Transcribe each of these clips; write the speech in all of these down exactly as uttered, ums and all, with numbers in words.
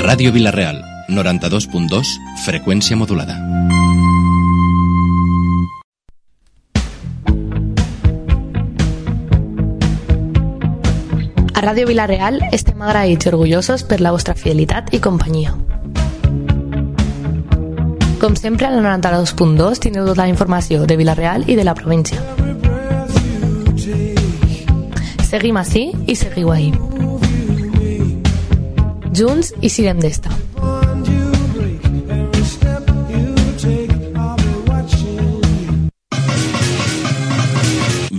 Ràdio Vila-real, noranta-dos punt dos, freqüència modulada. A Ràdio Vila-real estem agraïts i orgullosos per la vostra fidelitat i companyia. Com sempre, al noranta-dos punt dos teniu tota la informació de Vila-real i de la província. Seguim ací i seguiu ahí. Junts i siguem d'esta.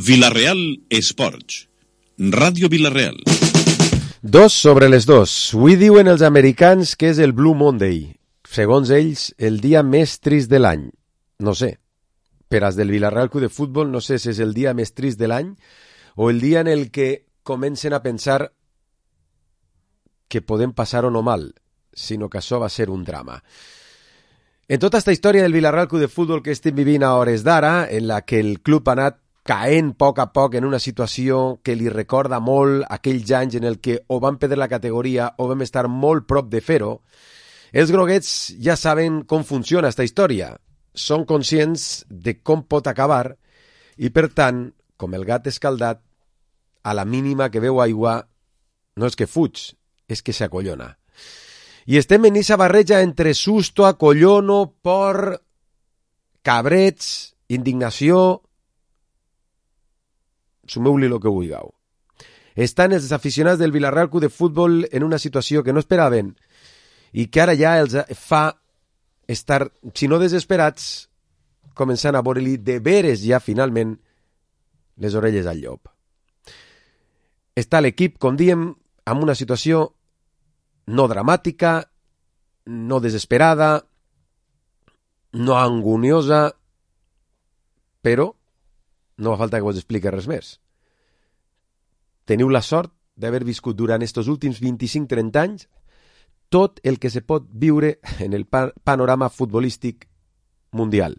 Vila-real Esports. Ràdio Vila-real. Dos sobre les dos. Avui diuen els americans que és el Blue Monday. Segons ells, el dia més trist de l'any. No sé. Per als del Vila-real Club de Futbol, no sé si és el dia més trist de l'any o el dia en el que comencen a pensar que podem passar-ho no mal, sinó que això va ser un drama. En tota aquesta història del Vila-real Club de Futbol que estem vivint a hores d'ara, en la que el club ha anat caent a poc a poc en una situació que li recorda molt aquells anys en el que o vam perdre la categoria o vam estar molt prop de fer-ho, els groguets ja saben com funciona aquesta història. Són conscients de com pot acabar i, per tant, com el gat escaldat, a la mínima que veu aigua no és que fuig, és que s'acollona. I estem en aquesta barreja entre susto, acollono, por, cabrets, indignació... Sumeu-li el que vulgueu. Estan els aficionats del Vila-real Club de Futbol en una situació que no esperaven i que ara ja els fa estar, si no desesperats, començant a veure-li de veres ja finalment les orelles al llop. Està l'equip, com diem, en una situació no dramàtica, no desesperada, no anguniosa, però no fa falta que vos expliqui res més. Teniu la sort d'haver viscut durant estos últims vint-i-cinc trenta anys tot el que se pot viure en el panorama futbolístic mundial.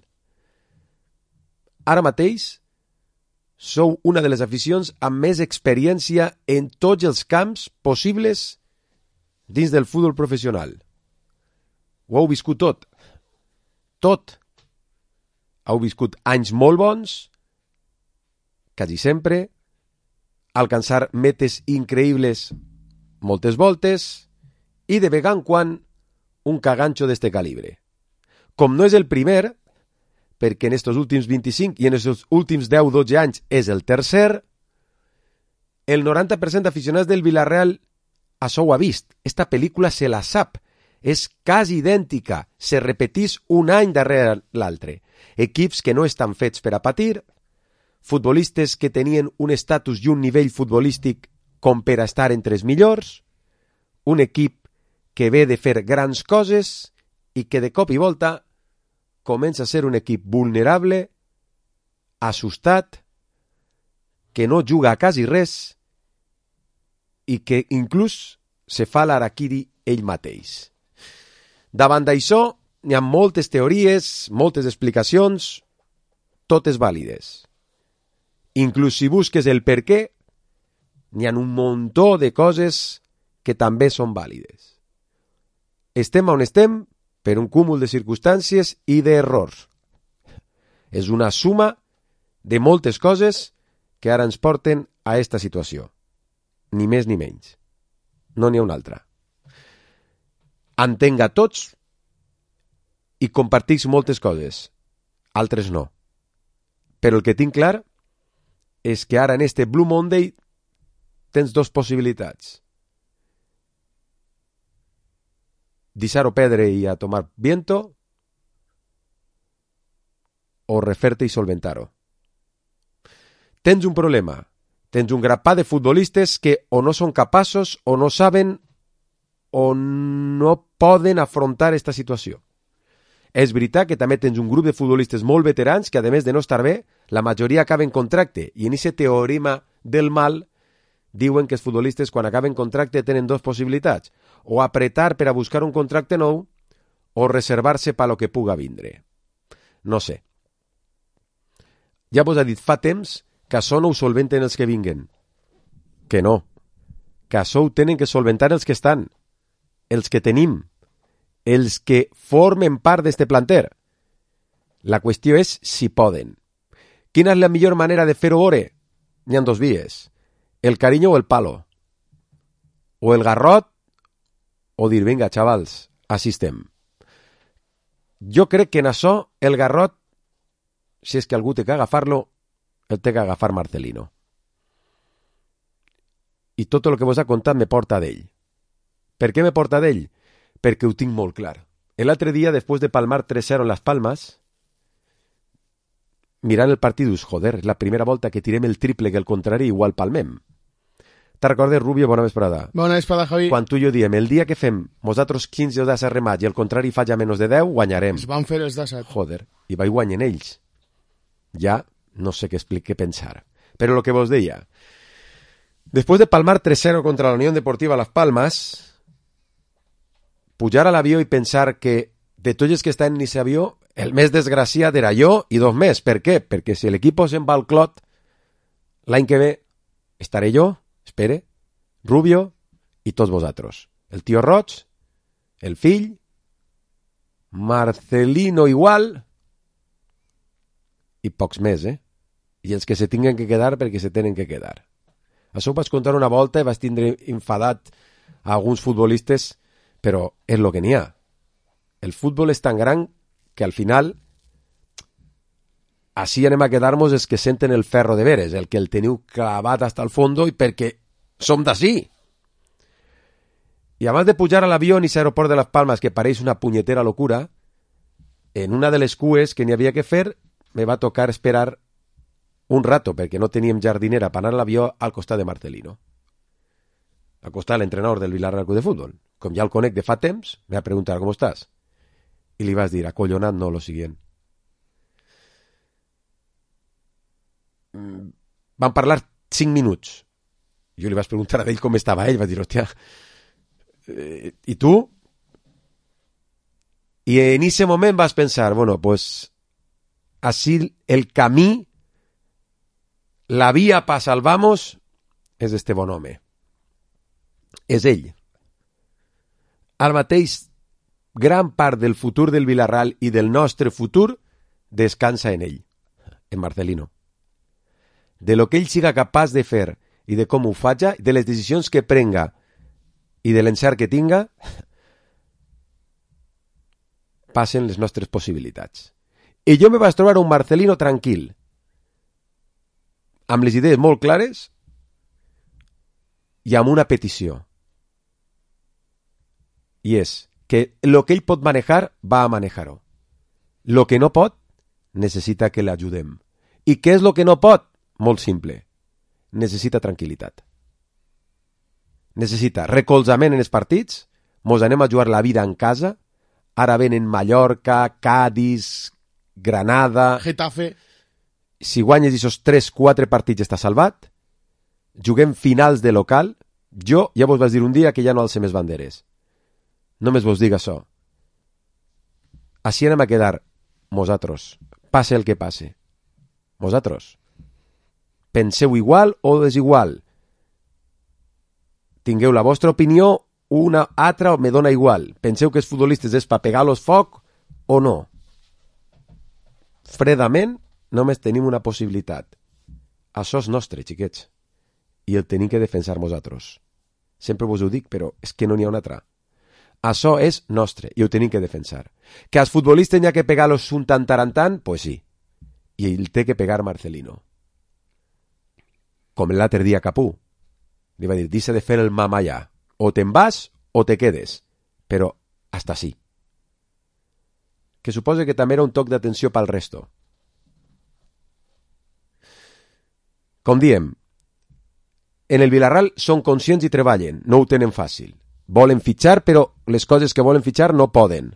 Ara mateix sou una de les aficions amb més experiència en tots els camps possibles dins del futbol professional. Ho heu viscut tot. Tot. Heu viscut anys molt bons, quasi sempre, alcançar metes increïbles moltes voltes i de vegada en quan un caganxo d'este calibre. Com no és el primer, perquè en estos últims vint-i-cinc i en estos últims deu dotze anys és el tercer, el noranta per cent d'aficionats del Vila-real això ho ha vist. Esta pel·lícula se la sap. És quasi idèntica. Se repetís un any darrere l'altre. Equips que no estan fets per a patir, futbolistes que tenien un estatus i un nivell futbolístic com per a estar entre els millors, un equip que ve de fer grans coses i que de cop i volta comença a ser un equip vulnerable, assustat, que no juga a quasi res i que inclús se fa l'araquiri ell mateix. Davant d'això hi ha moltes teories, moltes explicacions, totes vàlides. Inclús si busques el per què, n'hi ha un muntó de coses que també són vàlides. Estem on estem per un cúmul de circumstàncies i d'errors. És una suma de moltes coses que ara ens porten a aquesta situació. Ni més ni menys. No n'hi ha una altra. Entenc a tots i compartix moltes coses. Altres no. Però el que tinc clar és que ara en este Blue Monday tens dos possibilitats. Deixar-ho perdre i a tomar viento o refer-te i solventar-ho. Tens un problema. Tens un grapat de futbolistes que o no són capaços o no saben o no poden afrontar aquesta situació. És veritat que també tens un grup de futbolistes molt veterans que, a més de no estar bé, la majoria acaben contracte. I en aquest teorema del mal diuen que els futbolistes, quan acaben contracte, tenen dues possibilitats. O apretar per a buscar un contracte nou o reservar-se per lo que puga vindre. No sé. Ja vos ha dit fa temps que això no ho solventen els que vinguen. Que no. Que això ho tenen que solventar els que estan. els que tenim, els que formen part d'este planter. La qüestió és si poden. Quina és la millor manera de fer-ho veure? N'hi ha dos vies. El carinyo o el palo. O el garrot o dir, vinga, xavals, així estem. Jo crec que en això el garrot, si és que algú té que agafar-lo, el té que agafar Marcelino. I tot el que vos ha contat me porta d'ell. Per què me porta d'ell? Perquè ho tinc molt clar. L'altre dia, després de palmar tres cero en Las Palmas, mirant el partit, dius, joder, és la primera volta que tirem el triple que el contrari, igual palmem. Te'n recordes, Rubio? Bona vesprada. Bona vesprada, Javi. Quan tu i jo diem, el dia que fem nosaltres quinze o deu remats i el contrari falla menys de deu, guanyarem. Es van fer els disset. Joder, i vaig guanyen ells. Ja no sé què explicar, què pensar. Però el que vos deia, després de palmar tres cero contra la Unión Deportiva Las Palmas, pujar a l'avió i pensar que de tots els que estan en aquest avió, el més desgraciat era jo i dos més. Per què? Perquè si l'equip se'n va al clot, l'any que ve estaré jo, espere, Rubio i tots vosaltres. El tio Roig, el fill, Marcelino igual i pocs més, eh? I els que se tinguen que quedar perquè se tenen que quedar. Això ho vaig contar una volta i vaig tindre enfadat a alguns futbolistes, però és el que n'hi ha. El futbol és tan gran que al final així anem a quedar-nos els que senten el ferro de veres, el que el teniu clavat hasta el fondo i perquè som d'ací. I abans de pujar a l'avió en aquest aeroport de Las Palmas, que pareix una punyetera locura, en una de les cues que n'hi havia que fer, me va tocar esperar un rato, perquè no teníem jardinera per anar a l'avió al costat de Marcelino. Al costat de l'entrenador del Villarreal Club de Futbol. Com ja el conec de fa temps, me va preguntar com estàs. I li vas dir, acollonat no, lo siguiente. Van parlar cinc minuts. Jo li vaig preguntar a ell com estava ell, va dir, hòstia, eh, i tu? I en ese moment vas pensar, bueno, pues, així el camí, la via pa salvamos, és este bon home. És ell. Ara mateix, gran part del futur del Villarreal i del nostre futur descansa en ell, en Marcelino. De lo que ell siga capaç de fer i de com ho faja, de les decisions que prenga i de l'encert que tinga, passen les nostres possibilitats. I jo me vaig trobar un Marcelino tranquil, amb les idees molt clares i amb una petició. I és que lo que ell pot manejar, va a manejar-ho. Lo que no pot, necessita que l'ajudem. I què és lo que no pot? Molt simple. Necessita tranquil·litat. Necessita recolzament en els partits, mos anem a jugar la vida en casa, ara venen Mallorca, Cádiz, Granada... Getafe. Si guanyes aquests tres quatre partits està salvat, juguem finals de local, jo ja vos vaig dir un dia que ja no alcem més banderes. Només vos dic això. Així anem a quedar vosaltres, passe el que passe. Vosaltres. Penseu igual o desigual. Tingueu la vostra opinió, una altra me dona igual. Penseu que els futbolistes és per pegar-los foc o no. Fredament, només tenim una possibilitat. Això és nostre, xiquets. I el tenim que defensar vosaltres. Sempre vos ho dic, però és que no n'hi ha una altra. Això és nostre i ho tenim que defensar. Que als futbolistes n'hi ha que pegar-los un tant tarantant, pues sí. I ell té que pegar Marcelino. Com l'altre dia Capú. Li va dir, deixa de fer el mamallà. O te'n vas o te quedes. Però hasta sí. Que suposa que també era un toc d'atenció pel resto. Com diem, en el Villarreal són conscients i treballen, no ho tenen fàcil. Volen fitxar, però les coses que volen fitxar no poden.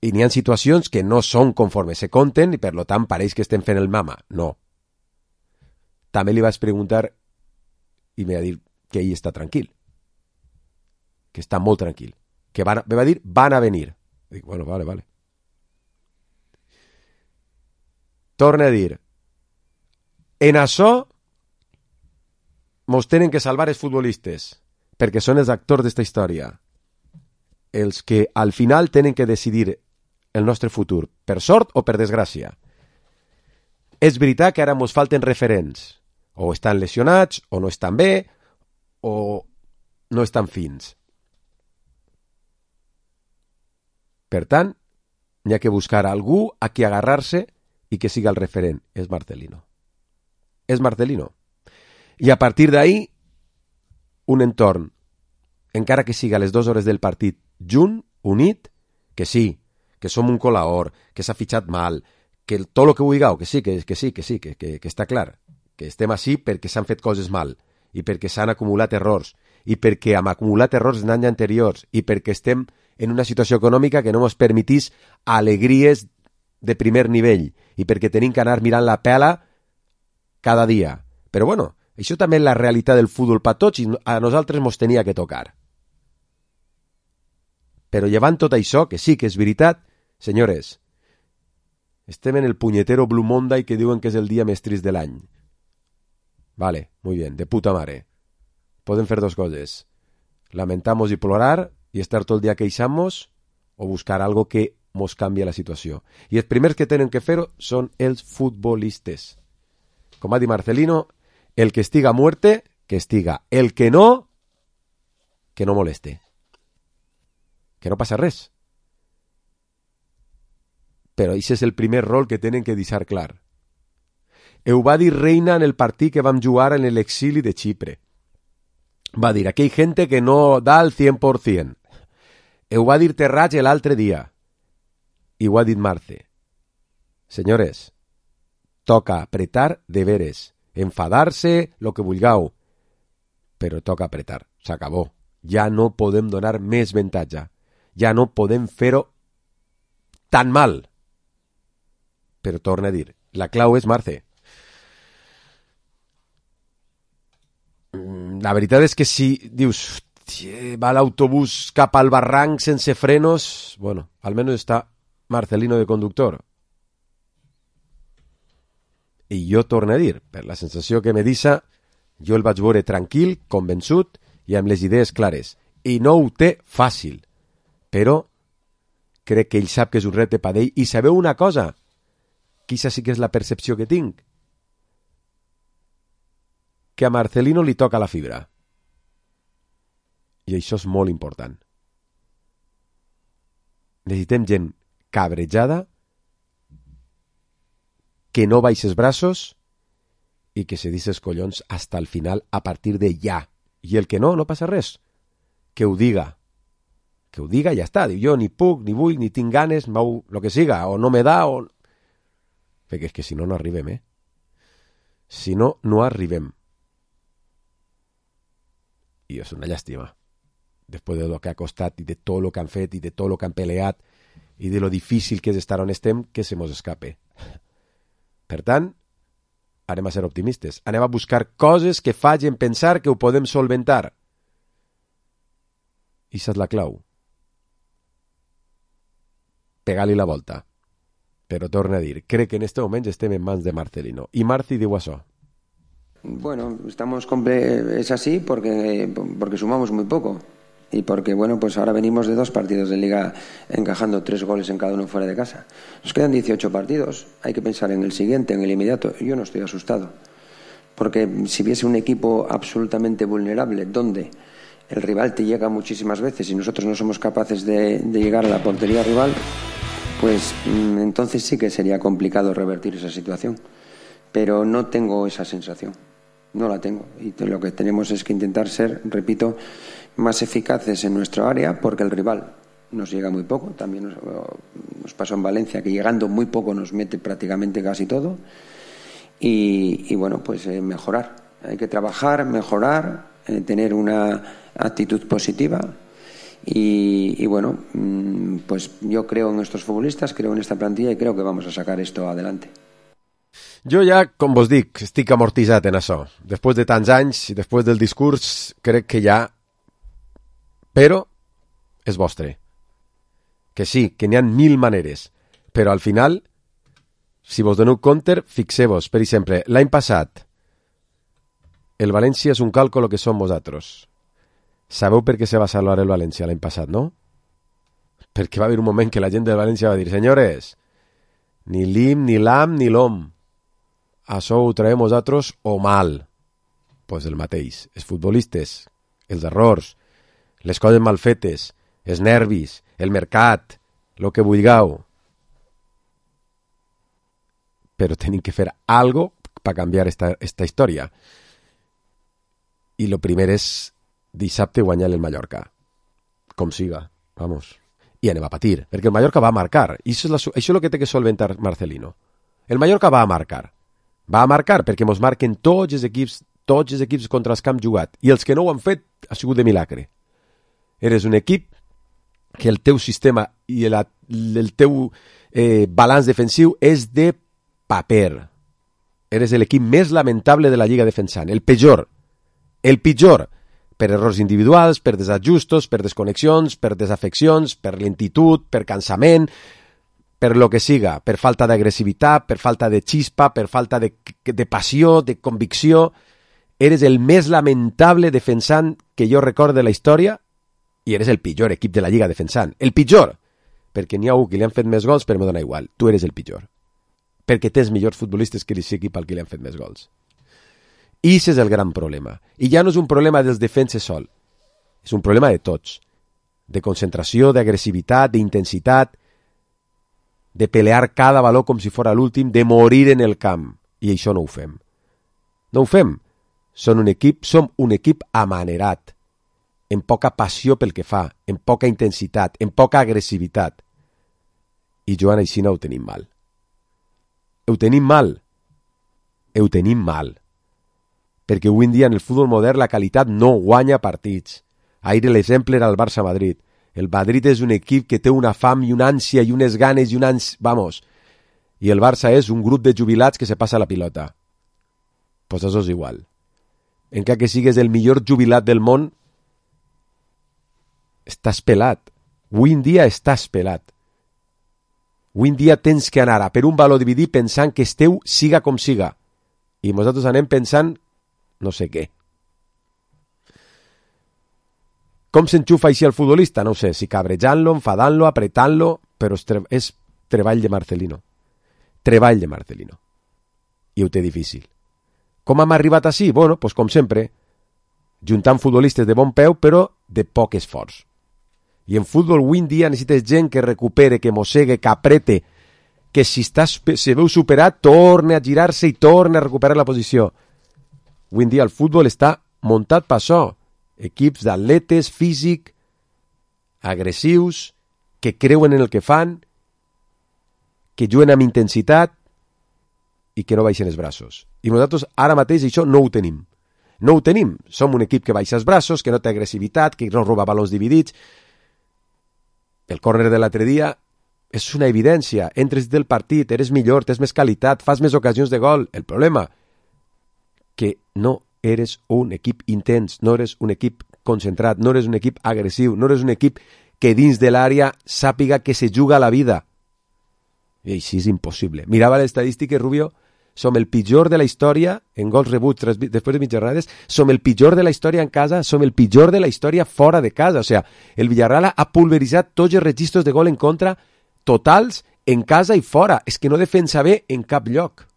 I n'hi ha situacions que no són conforme se compten i per lo tant pareix que estem fent el mama. No. També li vaig preguntar i me va dir que ell està tranquil. Que està molt tranquil. Que van, me va dir, van a venir. Dic, bueno, vale, vale. Torna a dir, en això mos tenen que salvar els futbolistes, perquè són els actors d'esta història, els que al final tenen que decidir el nostre futur, per sort o per desgràcia. És veritat que ara ens falten referents, o estan lesionats, o no estan bé, o no estan fins. Per tant, n'hi ha que buscar algú a qui agarrar-se i que siga el referent. És Marcelino. És Marcelino. I a partir d'ahí, un entorn, encara que siga a les dues hores del partit, junt, unit, que sí, que som un colaor, que s'ha fitxat mal, que tot el que vulgueu, que sí, que, que sí, que sí, que, que, que està clar, que estem així perquè s'han fet coses mal, i perquè s'han acumulat errors, i perquè hem acumulat errors d'anys anteriors, i perquè estem en una situació econòmica que no ens permetís alegries de primer nivell, i perquè tenim que anar mirant la pela cada dia. Però bueno, això també és la realitat del futbol per tots i a nosaltres ens tenia que tocar. Però llevant tot això, que sí que és veritat, senyores, estem en el punyetero Blue Monday que diuen que és el dia més trist de l'any. Vale, muy bien, de puta mare. Podem fer dos coses. Lamentamos i plorar i estar tot el dia queixant-nos o buscar algo que mos canvia la situació. I els primers que tenen que fer-ho són els futbolistes. Com ha dit Marcelino, el que estiga a muerte, que estiga. El que no, que no moleste. Que no passa res. Però això és el primer rol que tenen que deixar clar. Ho va dir Reina en el partit que vam jugar en l'exili de Xipre. Va dir, aquí hi ha gent que no da el cien por cien. Ho va dir Terrats l'altre dia. I ho ha dit Marce. Senyores, toca apretar de veres. Enfadar-se, lo que vulgueu. Però toca apretar. S'acabó. Ja no podem donar més avantatge. Ja no podem fer-ho tan mal. Però torna a dir, la clau és Marce. La veritat és que si dius va l'autobús cap al barranc sense frenos, bueno, almenys està Marcelino de conductor. I jo torno a dir, per la sensació que me deixa, jo el vaig veure tranquil, convençut i amb les idees clares. I no ho té fàcil, però crec que ell sap que és un repte per ell. I sabeu una cosa? Quizá sí que és la percepció que tinc. Que a Marcelino li toca la fibra. I això és molt important. Necessitem gent cabrejada, que no baixi els braços i que se deixi els collons hasta el final a partir de ja. I el que no, no passa res. Que ho diga. Que ho diga i ja està. Diu, jo ni puc, ni vull, ni tinc ganes, mau, lo que siga, o no me da, o... Perquè és que si no, no arribem, eh? Si no, no arribem. I és una llàstima. Després de lo que ha costat i de tot lo que han fet i de tot lo que han peleat i de lo difícil que és estar on estem, que se mos escape. Per tant, anem a ser optimistes. Anem a buscar coses que facin pensar que ho podem solventar. I això és la clau. Pegar-li la volta. Però torna a dir, crec que en este moment estem en mans de Marcelino. I Marci diu això. Bueno, estamos comple- es así porque, porque sumamos muy poco. Y porque, bueno, pues ahora venimos de dos partidos de Liga encajando tres goles en cada uno fuera de casa. Nos quedan dieciocho partidos. Hay que pensar en el siguiente, en el inmediato. Yo no estoy asustado. Porque si viese un equipo absolutamente vulnerable, donde el rival te llega muchísimas veces y nosotros no somos capaces de, de llegar a la portería rival, pues entonces sí que sería complicado revertir esa situación. Pero no tengo esa sensación. No la tengo. Y lo que tenemos es que intentar ser, repito, más eficaces en nuestra área, porque el rival nos llega muy poco. También nos, nos pasó en Valencia, que llegando muy poco nos mete prácticamente casi todo. Y, y bueno, pues eh, mejorar. Hay que trabajar, mejorar, eh, tener una actitud positiva. Y, y bueno, pues yo creo en estos futbolistas, creo en esta plantilla y creo que vamos a sacar esto adelante. Jo ja, com vos dic, estic amortitzat en això. Després de tants anys i després del discurs, crec que ja... Però és vostre. Que sí, que n'hi ha mil maneres. Però al final, si vos doneu compte, fixeu-vos, per exemple, l'any passat, el València és un càlcul que som vosaltres. Sabeu per què se va salvar el València l'any passat, no? Perquè va haver un moment que la gent del València va dir: senyores, ni l'im, ni l'am, ni l'om. Això ho traiem vosaltres o mal. Pues el mateix. Els futbolistes, els errors, les coses mal fetes, els nervis, el mercat, el que vulgueu. Però tenim que fer algo per canviar esta, esta història. I lo primer és dissabte guanyar el Mallorca. Com siga, vamos. I anem a patir, perquè el Mallorca va a marcar. I això és, la, això és el que té que solventar Marcelino. El Mallorca va a marcar. Va a marcar perquè mos marquen tots els equips, tots els equips contra els que hem jugat. I els que no ho han fet ha sigut de milagre. Eres un equip que el teu sistema i el, el teu eh, balanç defensiu és de paper. Eres l'equip més lamentable de la Lliga defensant. El pitjor. El pitjor. Per errors individuals, per desajustos, per desconnexions, per desafeccions, per lentitud, per cansament, per lo que siga, per falta d'agressivitat, per falta de xispa, per falta de, de passió, de convicció. Eres el més lamentable defensant que jo recordo de la història i eres el pitjor equip de la Lliga defensant. El pitjor! Perquè n'hi ha un que li han fet més gols, però m'ho dona igual. Tu eres el pitjor. Perquè tens millors futbolistes que l'equip al que li han fet més gols. I aquest és el gran problema. I ja no és un problema dels defenses sol. És un problema de tots. De concentració, d'agressivitat, d'intensitat, de pelear cada valor com si fos l'últim, de morir en el camp. I això no ho fem. No ho fem. Som un equip, som un equip amanerat, amb poca passió pel que fa, amb poca intensitat, amb poca agressivitat. I Joan, així no ho tenim mal. Ho tenim mal. Ho tenim mal. Perquè avui en dia en el futbol modern la qualitat no guanya partits. Ahir l'exemple era el Barça-Madrid. El Madrid és un equip que té una fam i una ànsia i unes ganes i un ans... Vamos. I el Barça és un grup de jubilats que se passa la pilota. Pues això és igual. Encara que sigues el millor jubilat del món, estàs pelat. Avui en dia estàs pelat. Avui en dia tens que anar a per un valor dividit pensant que esteu siga com siga. I nosaltres anem pensant no sé què. Com s'enxufa així el futbolista? No ho sé, si cabrejant-lo, enfadant-lo, apretant-lo, però és, tre és treball de Marcelino. Treball de Marcelino. I ho té difícil. Com hem arribat així? Bueno, pues com sempre, juntant futbolistes de bon peu, però de poc esforç. I en futbol avui en dia necessites gent que recupere, que mossegue, que aprete, que si està, se veu superat, torne a girar-se i torne a recuperar la posició. Avui en dia el futbol està muntat per això. Equips d'atletes, físic, agressius, que creuen en el que fan, que juguen amb intensitat i que no baixen els braços. I nosaltres ara mateix això no ho tenim. No ho tenim. Som un equip que baixa els braços, que no té agressivitat, que no roba balons dividits. El córner de l'altre dia és una evidència. Entres del partit, eres millor, tens més qualitat, fas més ocasions de gol. El problema que no eres un equip intens, no eres un equip concentrat, no eres un equip agressiu, no eres un equip que dins de l'àrea sàpiga que se juga la vida. I així és impossible. Mirava les estadístiques, Rubio, som el pitjor de la història en gols rebuts després de mitges jornades, som el pitjor de la història en casa, som el pitjor de la història fora de casa. O sigui, el Villarreal ha pulveritzat tots els registros de gol en contra totals en casa i fora. És que no defensa bé en cap lloc.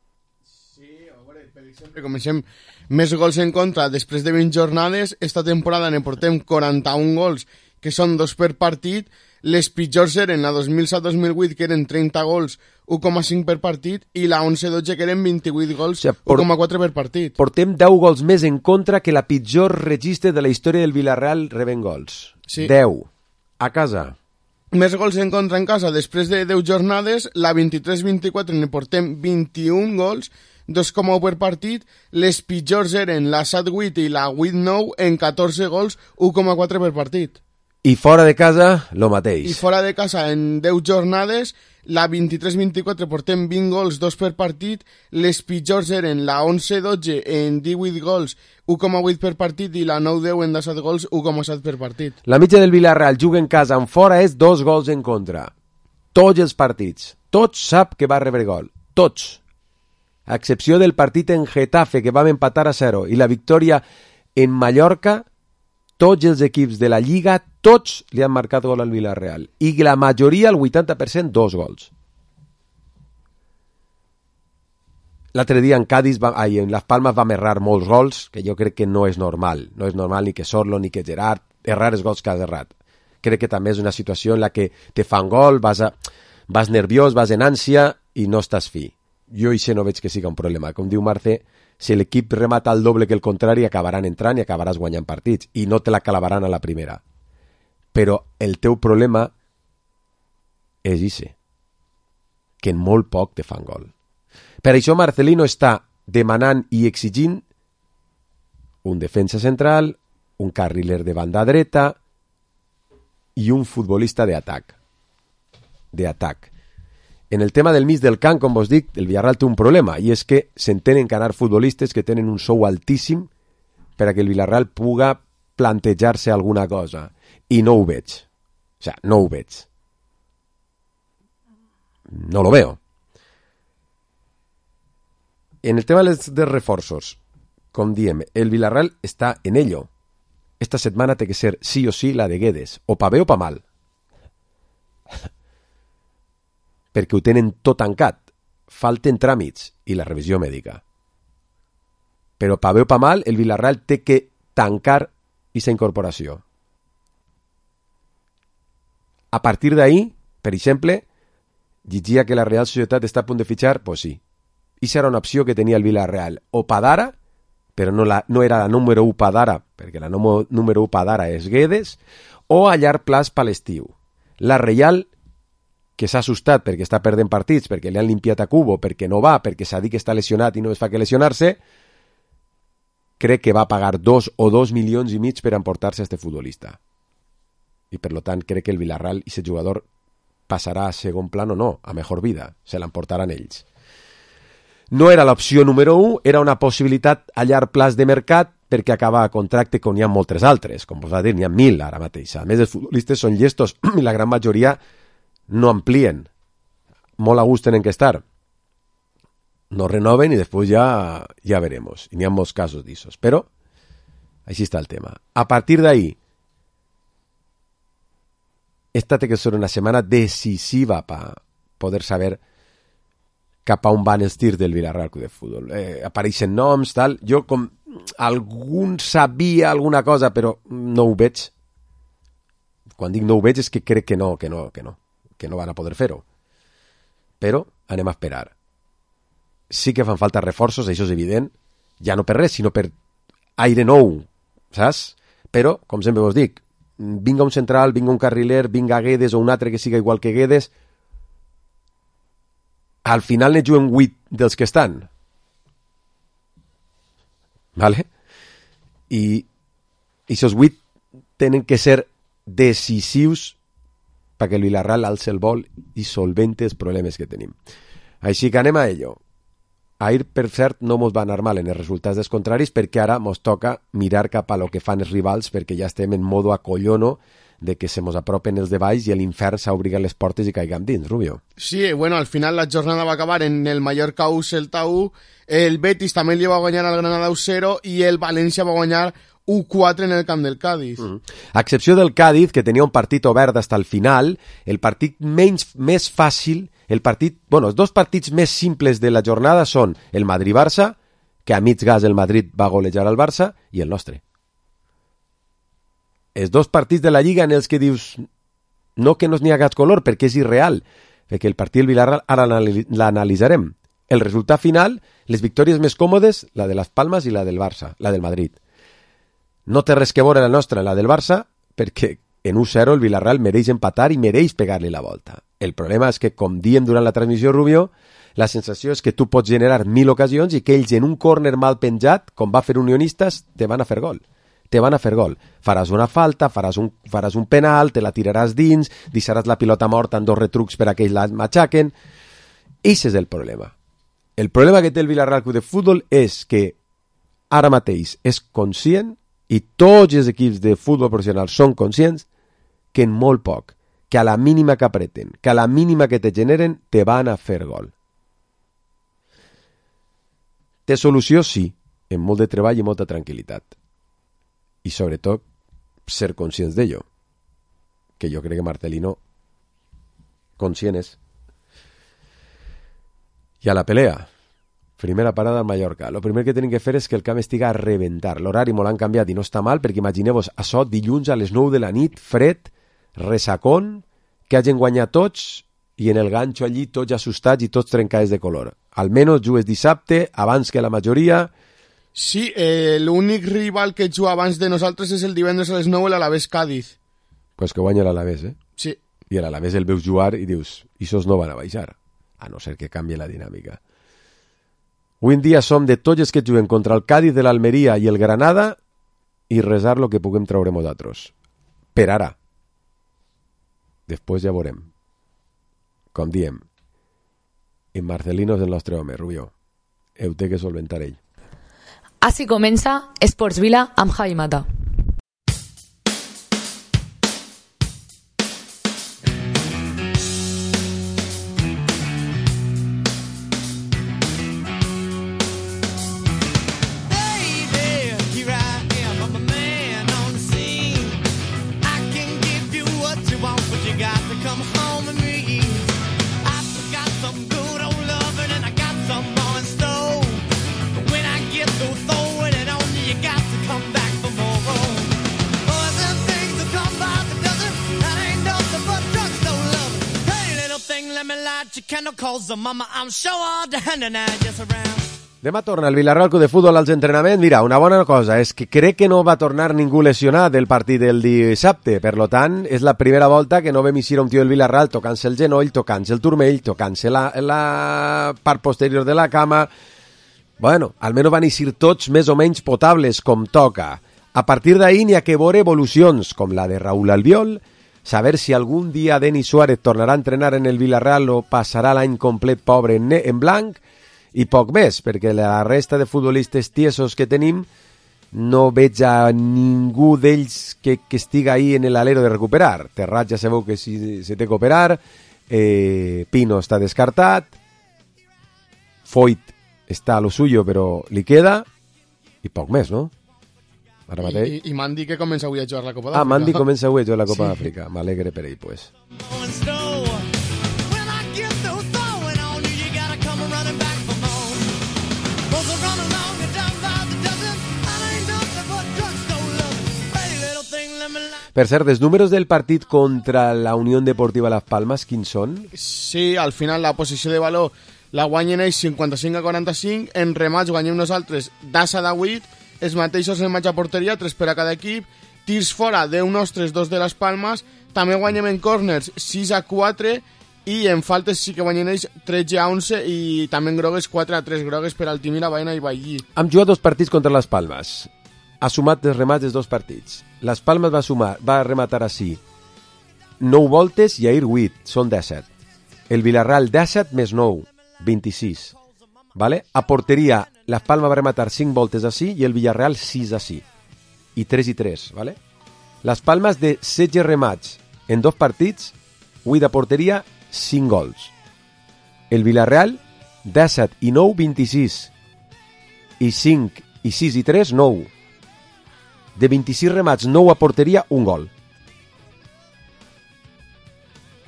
Sempre comencem més gols en contra després de vint jornades. Esta temporada ne portem quaranta-un gols, que són dos per partit. Les pitjors eren la dos mil set dos mil vuit, que eren trenta gols, u coma cinc per partit, i la onze dotze, que eren vint-i-vuit gols, o sigui, u coma quatre per partit. Portem deu gols més en contra que la pitjor registre de la història del Villarreal rebent gols. Sí. deu. A casa. Més gols en contra en casa després de deu jornades. La vint-i-tres vint-i-quatre ne portem vint-i-un gols, dos coma u per partit. Les pitjors eren la set vuit i la vuit nou en catorze gols, u coma quatre per partit. I fora de casa, lo mateix. I fora de casa, en deu jornades, la vint-i-tres vint-i-quatre portem vint gols, dos per partit. Les pitjors eren la onze dotze en divuit gols, u coma vuit per partit, i la nou deu en disset gols, u coma set per partit. La mitja del Villarreal juga en casa, en fora és dos gols en contra. Tots els partits. Tots sap que va rebre gol. Tots. A excepció del partit en Getafe, que vam empatar a zero, i la victòria en Mallorca, tots els equips de la Lliga, tots li han marcat gol al Villarreal. I la majoria, el vuitanta per cent, dos gols. L'altre dia en Cádiz, va, ai, en Las Palmas vam errar molts gols, que jo crec que no és normal. No és normal ni que Sorlo ni que Gerard errar els gols que has errat. Crec que també és una situació en la que te fan gol, vas, a, vas nerviós, vas en ànsia i no estàs fi. Jo això no veig que siga un problema. Com diu Marce, si l'equip remata el doble que el contrari, acabaran entrant i acabaràs guanyant partits. I no te la clavaran a la primera. Però el teu problema és ixe, que en molt poc te fan gol. Per això Marcelino està demanant i exigint un defensa central, un carriler de banda dreta i un futbolista d'atac. D'atac. En el tema del mig del camp, com vos dic, el Villarreal té un problema, i és que s'entenen que anar futbolistes que tenen un sou altíssim per a que el Villarreal puga plantejar-se alguna cosa. I no ho veig. O sea, no ho veig. No lo veo. En el tema dels reforços, com diem, el Villarreal està en ello. Esta setmana té que ser sí o sí la de Guedes, o pa bé o pa mal. Perquè ho tenen tot tancat. Falten tràmits i la revisió mèdica. Però pa bé o pa mal, el Villarreal té que tancar aquesta incorporació. A partir d'ahí, per exemple, llegia que la Real Societat està a punt de fitxar, pues sí. I serà una opció que tenia el Villarreal. O pa d'ara, però no, la, no era la número u pa d'ara, perquè la número, número u pa d'ara és Guedes, o a llarg plaç per l'estiu. La Real, que s'ha assustat perquè està perdent partits, perquè li han limpiat a Cubo, perquè no va, perquè s'ha dit que està lesionat i no es fa que lesionar-se, crec que va pagar dos o dos milions i mig per emportar-se a este futbolista. I per lo tant crec que el Villarreal i aquest jugador passarà a segon plan o no, a mejor vida, se l'emportaran ells. No era l'opció número u, era una possibilitat a llarg plaç de mercat perquè acaba a contracte com n'hi ha moltes altres, com vos va dir, n'hi ha mil ara mateix. A més, els futbolistes són llestos i la gran majoria no amplien. Molt a gust tenen que estar. No renoven i després ja, ja veremos. I n'hi ha molts casos d'issos. Però així està el tema. A partir d'ahí, esta té que ser una setmana decisiva per poder saber cap a on van els tirs del Villarreal Club de Futbol. Eh, apareixen noms, tal. Jo com algun sabia alguna cosa, però no ho veig. Quan dic no ho veig és que crec que no, que no, que no, que no van a poder fer-ho. Però anem a esperar. Sí que fan falta reforços, això és evident, ja no per res, sinó per aire nou, saps? Però, com sempre vos dic, vinga un central, vinga un carriler, vinga Guedes o un altre que siga igual que Guedes, al final ne juguen vuit dels que estan. Vale? I aquests vuit tenen que ser decisius perquè el Villarreal alce el vol i solvente els problemes que tenim. Així que anem a ello. Ahir, per cert, no mos va anar mal en els resultats dels contraris perquè ara mos toca mirar cap a lo que fan els rivals perquè ja estem en modo acollono de que se mos apropen els de baix i l'infern s'obriga les portes i caigam dins, Rubio. Sí, bueno, al final la jornada va acabar en el Mallorca u, Celta u, el Betis també li va guanyar al Granada u cero i el València va guanyar u quatre en el camp del Cádiz. Mm-hmm. A excepció del Cádiz, que tenia un partit obert fins al final, el partit menys, més fàcil, el partit, bueno, els dos partits més simples de la jornada són el Madrid-Barça, que a mig gas el Madrid va golejar al Barça, i el nostre. Els dos partits de la Lliga en els que dius no que no n'hi ha gat color perquè és irreal, perquè el partit del Villarreal ara l'analitzarem. El resultat final, les victòries més còmodes, la de Las Palmas i la del Barça, la del Madrid. No té res que veure la nostra, la del Barça, perquè en u zero el Villarreal mereix empatar i mereix pegar-li la volta. El problema és que, com diem durant la transmissió, Rubio, la sensació és que tu pots generar mil ocasions i que ells en un córner mal penjat, com va fer Unionistes, te van a fer gol. Te van a fer gol. Faràs una falta, faràs un, faràs un penal, te la tiraràs dins, deixaràs la pilota morta en dos retrucs per a que ells la matxaquen. Ese és el problema. El problema que té el Villarreal Club de Futbol és que ara mateix és conscient i tots els equips de futbol professional són conscients que en molt poc, que a la mínima que apreten, que a la mínima que te generen, te van a fer gol. Té solució? Sí, amb molt de treball i molta tranquil·litat. I sobretot ser conscients d'ello. Que jo crec que Marcelino conscient és. I a la pelea, primera parada al Mallorca. Lo primer que tenim que fer és que el camp estiga a rebentar. L'horari molt han canviat i no està mal, perquè imagineu-vos això dilluns a les nou de la nit, fred, resacón, que hagin guanyat tots i en el ganxo allí tots assustats i tots trencats de color. Almenys jugues dissabte, abans que la majoria. Sí, eh, l'únic rival que juga abans de nosaltres és el divendres a les nou, l'Alavés Cádiz. Pues que guanya l'Alavés, eh? Sí. I a l'Alavés el veus jugar i dius, ixos no van a baixar, a no ser que canvi la dinàmica. Avui en dia som de tots els que juguen contra el Cádiz, de l'Almeria i el Granada i resar lo que puguem treure nosaltres. Per ara. Després ja veurem. Com diem, en Marcelino és el nostre home, Rubió. Heu té que solventar ell. Així comença Esports Vila amb Javi Mata. Demà torna el Villarreal Club de Futbol als entrenaments. Mira, una bona cosa és que crec que no va tornar ningú lesionat del partit del dissabte. Per lo tant, és la primera volta que no vam eixir un tio del Villarreal tocant-se el genoll, tocant-se el turmell, tocant-se la, la part posterior de la cama. Bueno, almenys van eixir tots més o menys potables, com toca. A partir d'ahir n'hi ha que veure evolucions, com la de Raúl Albiol, saber si algun dia Denis Suárez tornarà a entrenar en el Villarreal o passarà l'any complet pobre en, en blanc, i poc més, perquè la resta de futbolistes tiesos que tenim no veig a ningú d'ells que, que estiga ahí en l'alero de recuperar. Terrat ja sabeu que si se té que operar, eh, Pino està descartat, Foyt està a lo suyo però li queda, i poc més, no? Ara mateix. I, i Mandi que comença avui a jugar la Copa d'Àfrica. Ah, Mandi comença avui a jugar la Copa sí. d'Àfrica. M'alegre per ell, pues. Per cert, els números del partit contra la Unió Deportiva Las Palmas, quins són? Sí, al final la posició de valor la guanyen ells cinquanta-cinc a quaranta-cinc, en remats guanyem nosaltres d'Asa de vuit, els mateixos en matxa porteria, tres per a cada equip, tirs fora, deu nostres, dos de les Palmes, també guanyem en corners sis a quatre i en faltes sí que guanyen ells tretze a onze i també en grogues quatre a tres, grogues per Altimira, Baena i Vallí. Hem jugat dos partits contra les Palmes. Ha sumat els remats dels dos partits. Les Palmes va sumar, va rematar així nou voltes i ahir vuit, són disset. El Villarreal disset més nou, vint-i-sis. Vale? A porteria, les Palmes va rematar cinc voltes així i el Villarreal sis així. I tres i tres, vale? Les Palmes de setze remats en dos partits, vuit a porteria, cinc gols. El Villarreal, disset i nou, vint-i-sis. I cinc i sis i tres, nou. De vint-i-sis remats, nou a porteria, un gol.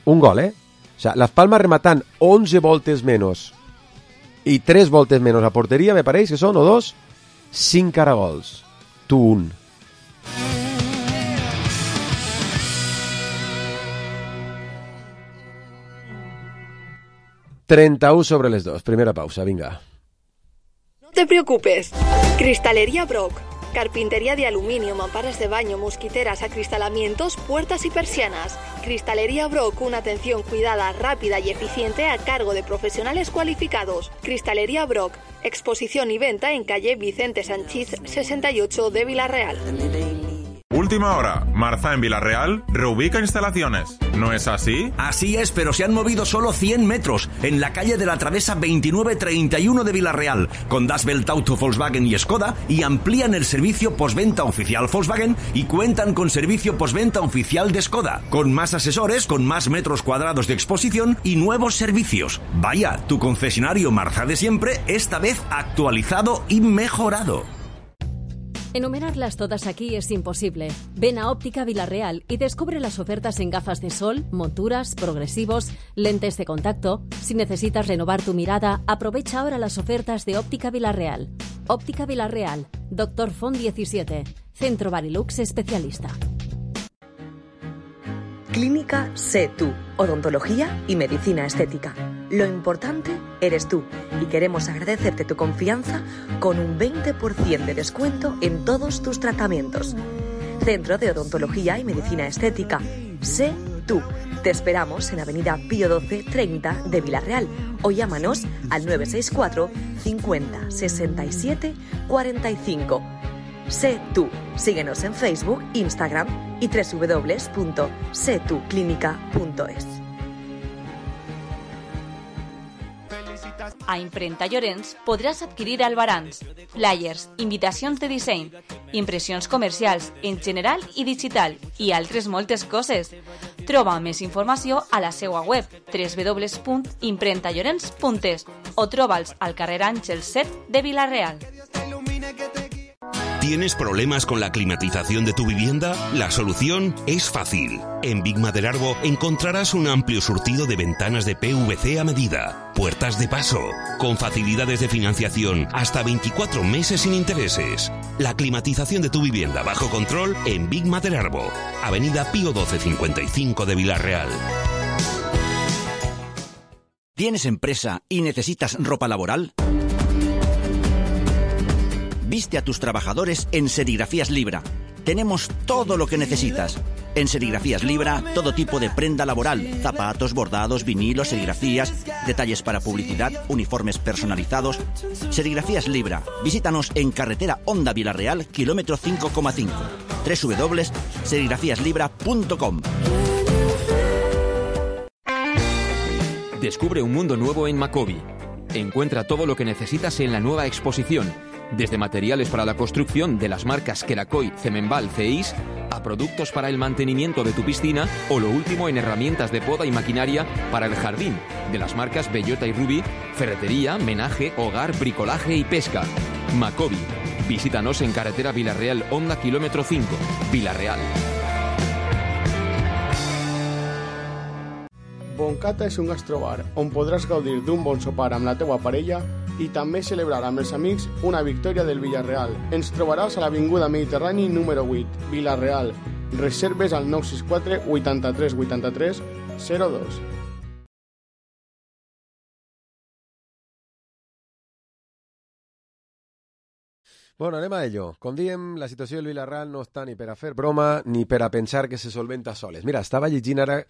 Un gol, eh? O sea, Las Palmas rematant onze voltes menys i tres voltes menys a porteria, me pareix que són, o dos, cinc caragols. Tu un. trenta-u sobre les dos. Primera pausa, vinga. No te preocupes. Cristalería Brock. Carpintería de aluminio, mamparas de baño, mosquiteras, acristalamientos, puertas y persianas. Cristalería Brock, una atención cuidada, rápida y eficiente a cargo de profesionales cualificados. Cristalería Brock, exposición y venta en calle Vicente Sanchís sesenta y ocho de Villarreal. Última hora, Marza en Villarreal reubica instalaciones. ¿No es así? Así es, pero se han movido solo cien metros en la calle de la Travesa veintinueve treinta y uno de Villarreal, con Das Welt Auto Volkswagen y Skoda, y amplían el servicio postventa oficial Volkswagen y cuentan con servicio postventa oficial de Skoda, con más asesores, con más metros cuadrados de exposición y nuevos servicios. Vaya, tu concesionario Marza de siempre, esta vez actualizado y mejorado. Enumerarlas todas aquí es imposible. Ven a Óptica Villarreal y descubre las ofertas en gafas de sol, monturas, progresivos, lentes de contacto. Si necesitas renovar tu mirada, aprovecha ahora las ofertas de Óptica Villarreal. Óptica Villarreal, Doctor Font diecisiete, Centro Barilux Especialista. Clínica Sé Tú, odontología y medicina estética. Lo importante eres tú y queremos agradecerte tu confianza con un veinte por ciento de descuento en todos tus tratamientos. Centro de Odontología y Medicina Estética. Sé Tú. Te esperamos en Avenida Pío doce treinta de Villarreal o llámanos al nueve seis cuatro cincuenta sesenta y siete cuarenta y cinco. Sé Tú. Síguenos en Facebook, Instagram y doble u doble u doble u punto sé tú clínica punto es. A Imprenta Llorenç podràs adquirir albarans, flyers, invitacions de disseny, impressions comercials en general i digital i altres moltes coses. Troba més informació a la seva web doble u doble u doble u punt imprenta llorenç punt es o troba'ls al carrer Àngel set de Vila-real. ¿Tienes problemas con la climatización de tu vivienda? La solución es fácil. En Big Maderarbo encontrarás un amplio surtido de ventanas de P V C a medida, puertas de paso, con facilidades de financiación hasta veinticuatro meses sin intereses. La climatización de tu vivienda bajo control en Big Maderarbo, Avenida Pío doce cincuenta y cinco de Vila-real. ¿Tienes empresa y necesitas ropa laboral? Viste a tus trabajadores en Serigrafías Libra. Tenemos todo lo que necesitas. En Serigrafías Libra, todo tipo de prenda laboral, zapatos, bordados, vinilos, serigrafías, detalles para publicidad, uniformes personalizados. Serigrafías Libra. Visítanos en carretera Honda Vila-real, kilómetro cinco coma cinco. doble u doble u doble u punto serigrafías libra punto com. Descubre un mundo nuevo en Macobi. Encuentra todo lo que necesitas en la nueva exposición. Desde materiales para la construcción de las marcas Kerakoy, Cemenbal, Ceis, a productos para el mantenimiento de tu piscina o lo último en herramientas de poda y maquinaria para el jardín, de las marcas Bellota y Ruby, ferretería, menaje, hogar, bricolaje y pesca. Macobi. Visítanos en carretera Vila-real Honda kilómetro cinco, Vila-real. Boncata és un gastrobar on podràs gaudir d'un bon sopar amb la teua parella i també celebrar amb els amics una victòria del Villarreal. Ens trobaràs a l'Avinguda Mediterrani número vuit, Vila-real. Reserves al nou sis quatre vuitanta-tres vuitanta-tres zero dos. Bueno, anem a ello. Com diem, la situació del Villarreal no està ni per a fer broma ni per a pensar que se solventa soles. Mira, estava llegint ara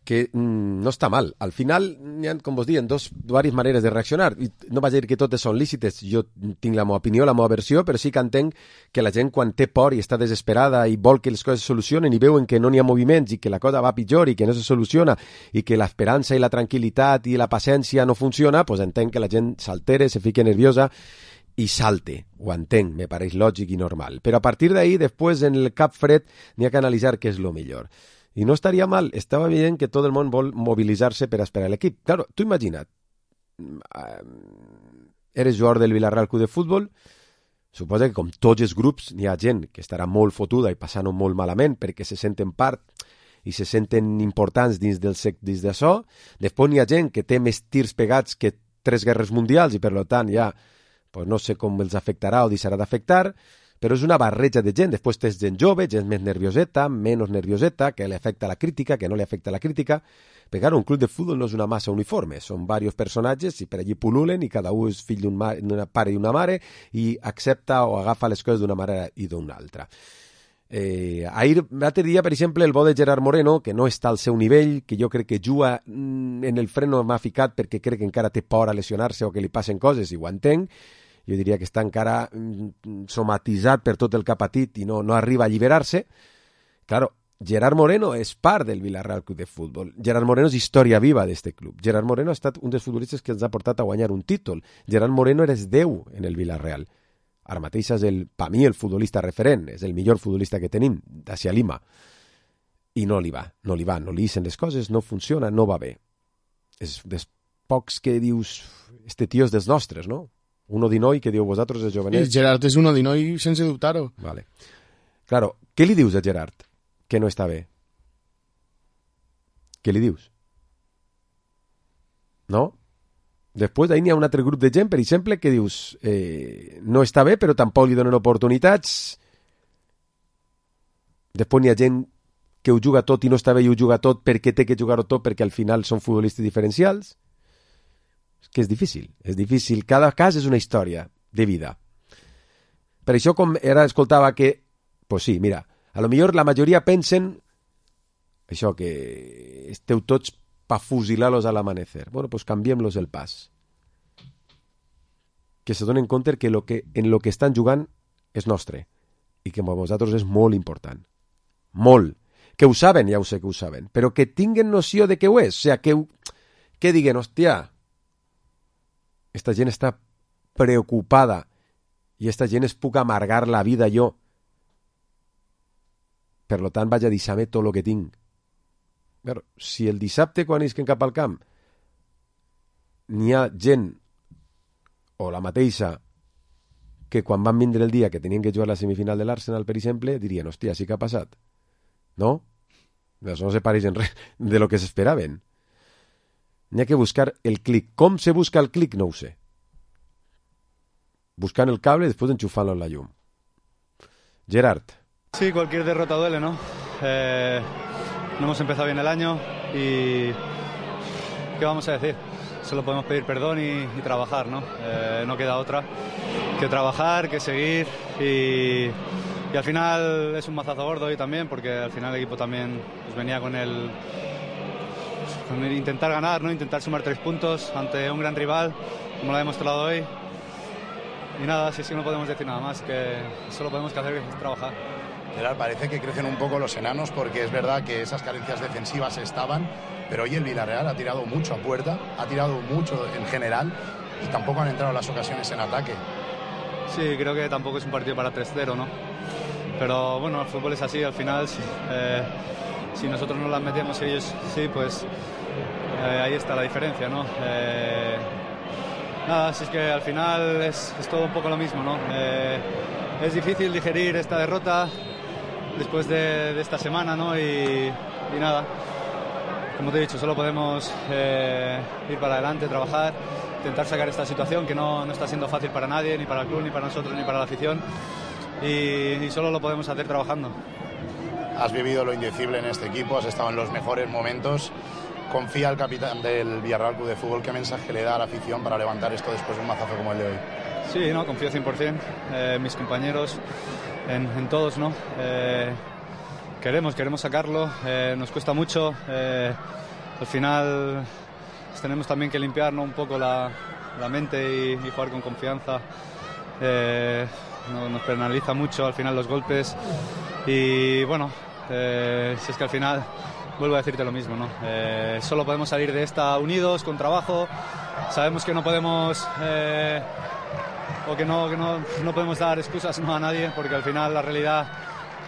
que mmm, no està mal. Al final hi ha, com vos diuen, dos, diverses maneres de reaccionar. I no vaig dir que totes són lícites. Jo tinc la meva opinió, la meva versió, però sí que entenc que la gent quan té por i està desesperada i vol que les coses se solucionen i veuen que no n'hi ha moviments i que la cosa va pitjor i que no se soluciona i que l'esperança i la tranquil·litat i la paciència no funciona, doncs entenc que la gent s'altere, se fique nerviosa i salte. Ho entenc, me pareix lògic i normal. Però a partir d'ahí, després, en el cap fred, n'hi ha que analitzar què és el millor. I no estaria mal, estava veient que tot el món vol mobilitzar-se per esperar l'equip. Claro, tu imagina't, eres jugador del Villarreal Club de Futbol, suposa que com tots els grups n'hi ha gent que estarà molt fotuda i passant-ho molt malament perquè se senten part i se senten importants dins del sec dins d'això. Després n'hi ha gent que té més tirs pegats que tres guerres mundials i per tant ja pues no sé com els afectarà o deixarà d'afectar, però és una barreja de gent. Després tens gent jove, gent més nervioseta, menys nervioseta, que li afecta la crítica, que no li afecta la crítica. Perquè ara un club de futbol no és una massa uniforme, són diversos personatges i per allí pululen i cada un és fill d'un pare i una mare i accepta o agafa les coses d'una manera i d'una altra. Eh, ahir, l'altre dia, per exemple, el bo de Gerard Moreno, que no està al seu nivell, que jo crec que juga en el freno m'ha ficat perquè crec que encara té por a lesionar-se o que li passen coses, i ho entenc. Jo diria que està encara somatitzat per tot el que ha patit i no, no arriba a alliberar-se. Claro, Gerard Moreno és part del Villarreal Club de Futbol. Gerard Moreno és història viva d'este club. Gerard Moreno ha estat un dels futbolistes que ens ha portat a guanyar un títol. Gerard Moreno és Déu en el Villarreal. Ara mateix és, el, per mi, el futbolista referent. És el millor futbolista que tenim, d'Asia Lima. I no li va, no li va, no li ixen les coses, no funciona, no va bé. És dels pocs que dius, este tio és dels nostres, no? Un Odinoi que diu vosaltres els jovenets... El Gerard és un Odinoi sense dubtar-ho. Vale. Claro, què li dius a Gerard que no està bé? Què li dius? No? Després d'ahir n'hi ha un altre grup de gent, per exemple, que dius eh, no està bé, però tampoc li donen oportunitats. Després n'hi ha gent que ho juga tot i no està bé i ho juga tot perquè té que jugar-ho tot perquè al final són futbolistes diferencials. És que és difícil, és difícil. Cada cas és una història de vida. Per això, com ara escoltava que, pues sí, mira, a lo millor la majoria pensen això, que esteu tots pa fusilar-los a l'amanecer. Bueno, pues canviem-los el pas. Que se donen compte que, lo que en lo que estan jugant és nostre i que per vosaltres és molt important. Molt. Que ho saben, ja ho sé que ho saben, però que tinguen noció de que ho és. O sigui, que, que diguen, hòstia, esta gent està preocupada i esta gent es puc amargar la vida jo. Per lo tant, vaig a deixar-me tot el que tinc. Però, si el dissabte, quan isquen cap al camp, n'hi ha gent, o la mateixa, que quan van vindre el dia que tenien que jugar la semifinal de l'Arsenal, per exemple, dirien, hòstia, sí que ha passat. No? Això no se pareix en res de lo que s'esperaven. N'hi ha que buscar el clic. Com se busca el clic? No ho sé. Buscant el cable i després enxufant-lo en la llum. Gerard. Sí, cualquier derrota duele, ¿no? Eh... No hemos empezado bien el año y ¿qué vamos a decir? Solo podemos pedir perdón y, y trabajar, ¿no? Eh, no queda otra que trabajar, que seguir y, y al final es un mazazo gordo hoy también porque al final el equipo también pues, venía con el, con el intentar ganar, ¿no? Intentar sumar tres puntos ante un gran rival como lo ha demostrado hoy y nada, si es que no podemos decir nada más, que solo podemos que hacer es trabajar. Gerard, parece que crecen un poco los enanos porque es verdad que esas carencias defensivas estaban, pero hoy el Villarreal ha tirado mucho a puerta, ha tirado mucho en general y tampoco han entrado las ocasiones en ataque. Sí, creo que tampoco es un partido para tres cero, ¿no? Pero bueno, el fútbol es así, al final, si, eh, si nosotros no las metemos y ellos sí, pues eh, ahí está la diferencia, ¿no? Eh, nada, si es que al final es, es todo un poco lo mismo, ¿no? Eh, es difícil digerir esta derrota después de, de esta semana, ¿no? Y, y nada, como te he dicho, solo podemos eh, ir para adelante, trabajar, intentar sacar esta situación que no, no está siendo fácil para nadie, ni para el club, ni para nosotros, ni para la afición, y, y solo lo podemos hacer trabajando. Has vivido lo indecible en este equipo, has estado en los mejores momentos. Confía el capitán del Villarreal Club de Fútbol, ¿qué mensaje le da a la afición para levantar esto después de un mazazo como el de hoy? Sí, no, confío cien por ciento en eh, mis compañeros, en, en todos, ¿no? Eh, queremos, queremos sacarlo, eh, nos cuesta mucho, eh, al final pues, tenemos también que limpiar, ¿no? Un poco la, la mente y, y jugar con confianza. Eh, no, nos penaliza mucho al final los golpes y bueno, eh, si es que al final vuelvo a decirte lo mismo, ¿no? Eh, solo podemos salir de esta unidos, con trabajo. Sabemos que no podemos eh, o que no, que no, no podemos dar excusas, no, a nadie, porque al final la realidad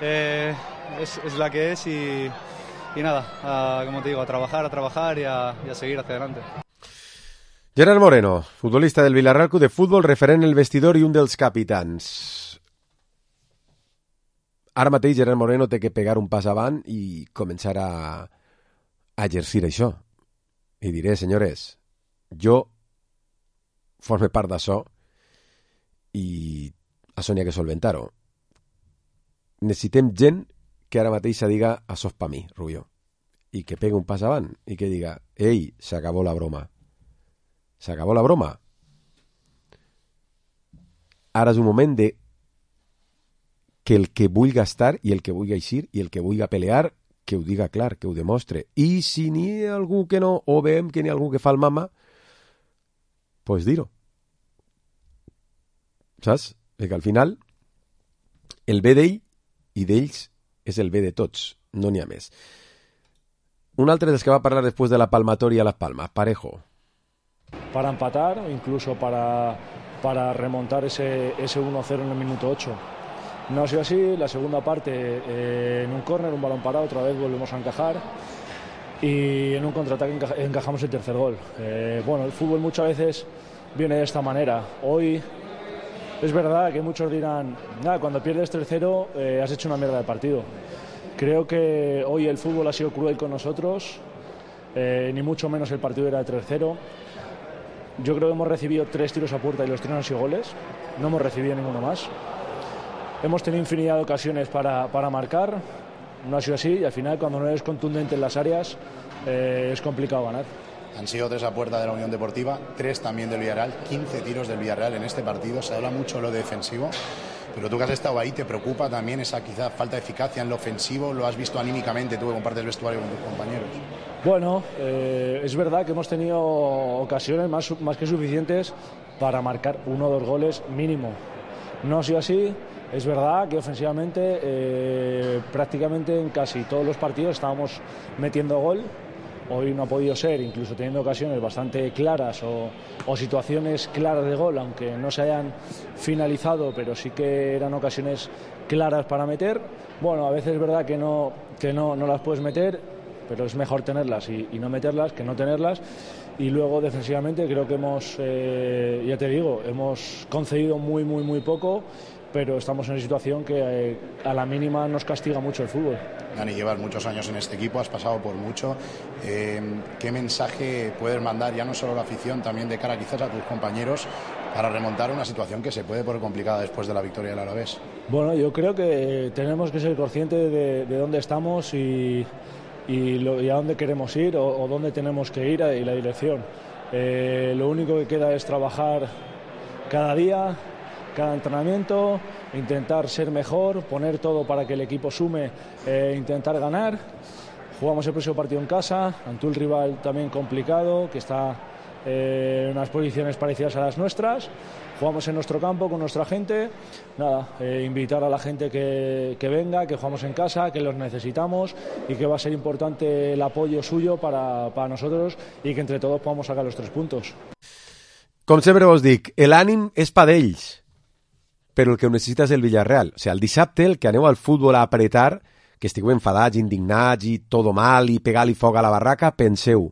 eh, es, es la que es y, y nada, a, como te digo, a trabajar, a trabajar y a, y a seguir hacia adelante. Gerard Moreno, futbolista del Villarreal Club de Fútbol, referent en el vestidor i un dels capitans. Ara mateix Gerard Moreno té que pegar un pas avant i començar a, a exercir això. I diré, senyores, jo forme part d'això i això n'hi ha que solventar-ho. Necessitem gent que ara mateix se diga això és pa mi, Rubió, i que pegue un pas avant i que diga, ei, s'acabó la broma. S'acabó la broma. Ara és un moment de que el que vulgui estar i el que vulgui eixir i el que vulgui pelear, que ho diga clar, que ho demostre. I si n'hi ha algú que no, o veiem que n'hi ha algú que fa el mama, pues dir-ho. Saps? Perquè al final el bé d'ell i d'ells és el bé de tots, no n'hi ha més. Un altre dels que va parlar després de la palmatoria a Las Palmas, Parejo. Para empatar o incluso para, para remontar ese, ese uno cero en el minuto ocho. No ha sido así, la segunda parte eh, en un córner, un balón parado, otra vez volvemos a encajar y en un contraataque enca- encajamos el tercer gol. Eh, bueno, el fútbol muchas veces viene de esta manera. Hoy es verdad que muchos dirán, nada, cuando pierdes tres cero eh, has hecho una mierda de partido. Creo que hoy el fútbol ha sido cruel con nosotros, eh, ni mucho menos el partido era de tres cero. Yo creo que hemos recibido tres tiros a puerta y los tres han sido goles, no hemos recibido ninguno más. Hemos tenido infinidad de ocasiones para, para marcar, no ha sido así, y al final cuando no eres contundente en las áreas eh, es complicado ganar. Han sido tres a puerta de la Unión Deportiva, tres también del Villarreal, quince tiros del Villarreal en este partido. Se habla mucho de lo defensivo, pero tú que has estado ahí, ¿te preocupa también esa quizá falta de eficacia en lo ofensivo? ¿Lo has visto anímicamente tú que compartes vestuario con tus compañeros? Bueno, eh, es verdad que hemos tenido ocasiones más, más que suficientes para marcar uno o dos goles mínimo. No ha sido así. Es verdad que ofensivamente eh, prácticamente en casi todos los partidos estábamos metiendo gol. Hoy no ha podido ser, incluso teniendo ocasiones bastante claras o, o situaciones claras de gol, aunque no se hayan finalizado, pero sí que eran ocasiones claras para meter. Bueno, a veces es verdad que no, que no, no las puedes meter, pero es mejor tenerlas y, y no meterlas que no tenerlas. Y luego defensivamente creo que hemos, eh, ya te digo, hemos concedido muy, muy, muy poco, pero estamos en una situación que eh, a la mínima nos castiga mucho el fútbol. Dani, llevas muchos años en este equipo, has pasado por mucho. Eh, ¿Qué mensaje puedes mandar, ya no solo a la afición, también de cara quizás a tus compañeros, para remontar una situación que se puede poner complicada después de la victoria del Alavés? Bueno, yo creo que tenemos que ser conscientes de, de dónde estamos y, y, lo, y a dónde queremos ir o, o dónde tenemos que ir y la dirección. Eh, lo único que queda es trabajar cada día, cada entrenamiento, intentar ser mejor, poner todo para que el equipo sume, eh, intentar ganar. Jugamos el próximo partido en casa, ante un rival también complicado, que está eh, en unas posiciones parecidas a las nuestras. Jugamos en nuestro campo, con nuestra gente. Nada, eh, invitar a la gente que, que venga, que jugamos en casa, que los necesitamos y que va a ser importante el apoyo suyo para, para nosotros y que entre todos podamos sacar los tres puntos. Com sempre vos dic, l'ànim és pa d'ells, però el que ho necessita és el Villarreal. O sigui, el dissabte, el que aneu al futbol a apretar, que estigueu enfadats, indignats i todo mal i pegar-li foc a la barraca, penseu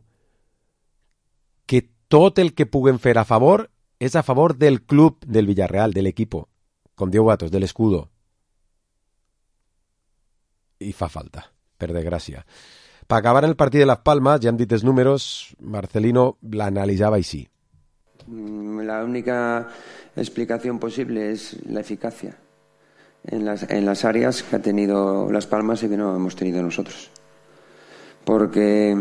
que tot el que puguem fer a favor és a favor del club del Villarreal, de l'equipo, com diu Gatos, de l'escudo. I fa falta, per desgràcia. Per acabar el partit de Las Palmas, ja hem dit els números, Marcelino l'analitzava així. La única explicación posible es la eficacia en las, en las áreas que ha tenido Las Palmas y que no hemos tenido nosotros. Porque,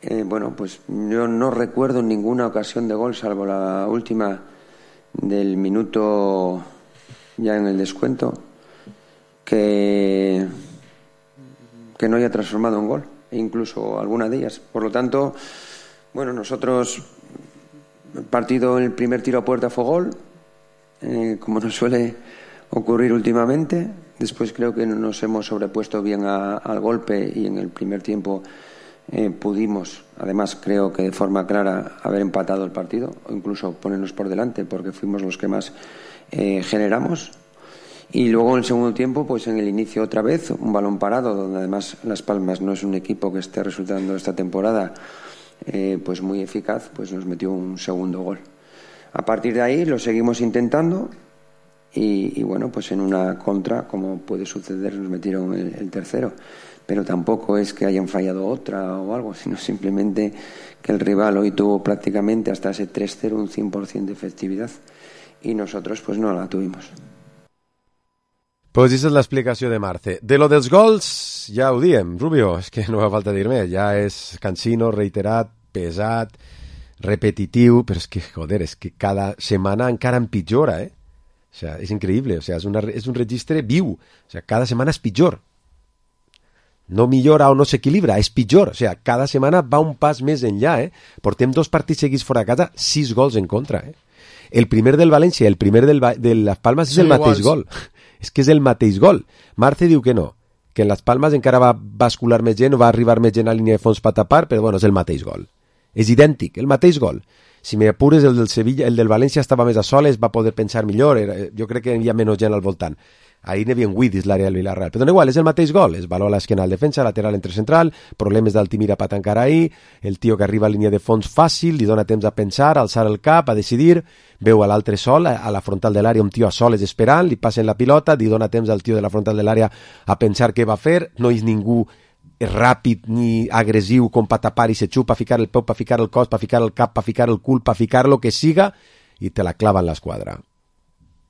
eh, bueno, pues yo no recuerdo ninguna ocasión de gol, salvo la última del minuto ya en el descuento, que, que no haya transformado en gol, e incluso alguna de ellas. Por lo tanto, bueno, nosotros... El partido, el primer tiro a puerta fue gol, eh, como nos suele ocurrir últimamente. Después creo que nos hemos sobrepuesto bien a, al golpe y en el primer tiempo eh, pudimos, además creo que de forma clara, haber empatado el partido o incluso ponernos por delante porque fuimos los que más eh, generamos. Y luego en el segundo tiempo, pues en el inicio otra vez, un balón parado, donde además Las Palmas no es un equipo que esté resultando esta temporada Eh, pues muy eficaz, pues nos metió un segundo gol. A partir de ahí lo seguimos intentando y, y bueno, pues en una contra, como puede suceder, nos metieron el, el tercero, pero tampoco es que hayan fallado otra o algo, sino simplemente que el rival hoy tuvo prácticamente hasta ese tres cero un cien por ciento de efectividad y nosotros pues no la tuvimos. Pues aquesta és l'explicació de Marce. De lo dels gols, ja ho diem, Rubio, és que no fa falta dir més, ja és cansino, reiterat, pesat, repetitiu, però és que, joder, és que cada setmana encara empitjora, eh? O sea, és increïble, o sea, és, una, és un registre viu, o sea, cada setmana és pitjor. No millora o no s'equilibra, és pitjor, o sea, cada setmana va un pas més enllà, eh? Portem dos partits seguits fora a casa, sis gols en contra, eh? El primer del València i el primer del, de Las Palmas és el mateix gol. És que és el mateix gol. Marce diu que no, que en Las Palmas encara va bascular més gent o va arribar més gent a línia de fons per tapar, però bueno, és el mateix gol. És idèntic, el mateix gol. Si m'apures, el del Sevilla, el del València estava més a soles, va poder pensar millor, era, jo crec que hi havia menys gent al voltant. Ahir n'hi havia vuit dins l'àrea del Villarreal. Però no igual, és el mateix gol. Es valor a l'esquena al defensa, lateral entre central, problemes d'Altimira per tancar ahir, el tio que arriba a línia de fons fàcil, li dona temps a pensar, a alçar el cap, a decidir, veu a l'altre sol, a la frontal de l'àrea, un tio a soles esperant, li passen la pilota, li dona temps al tio de la frontal de l'àrea a pensar què va fer, no és ningú ràpid ni agressiu com per tapar i se xupa, per ficar el peu, per ficar el cos, per ficar el cap, per ficar el cul, per ficar lo que siga, i te la clava en l'esquadra.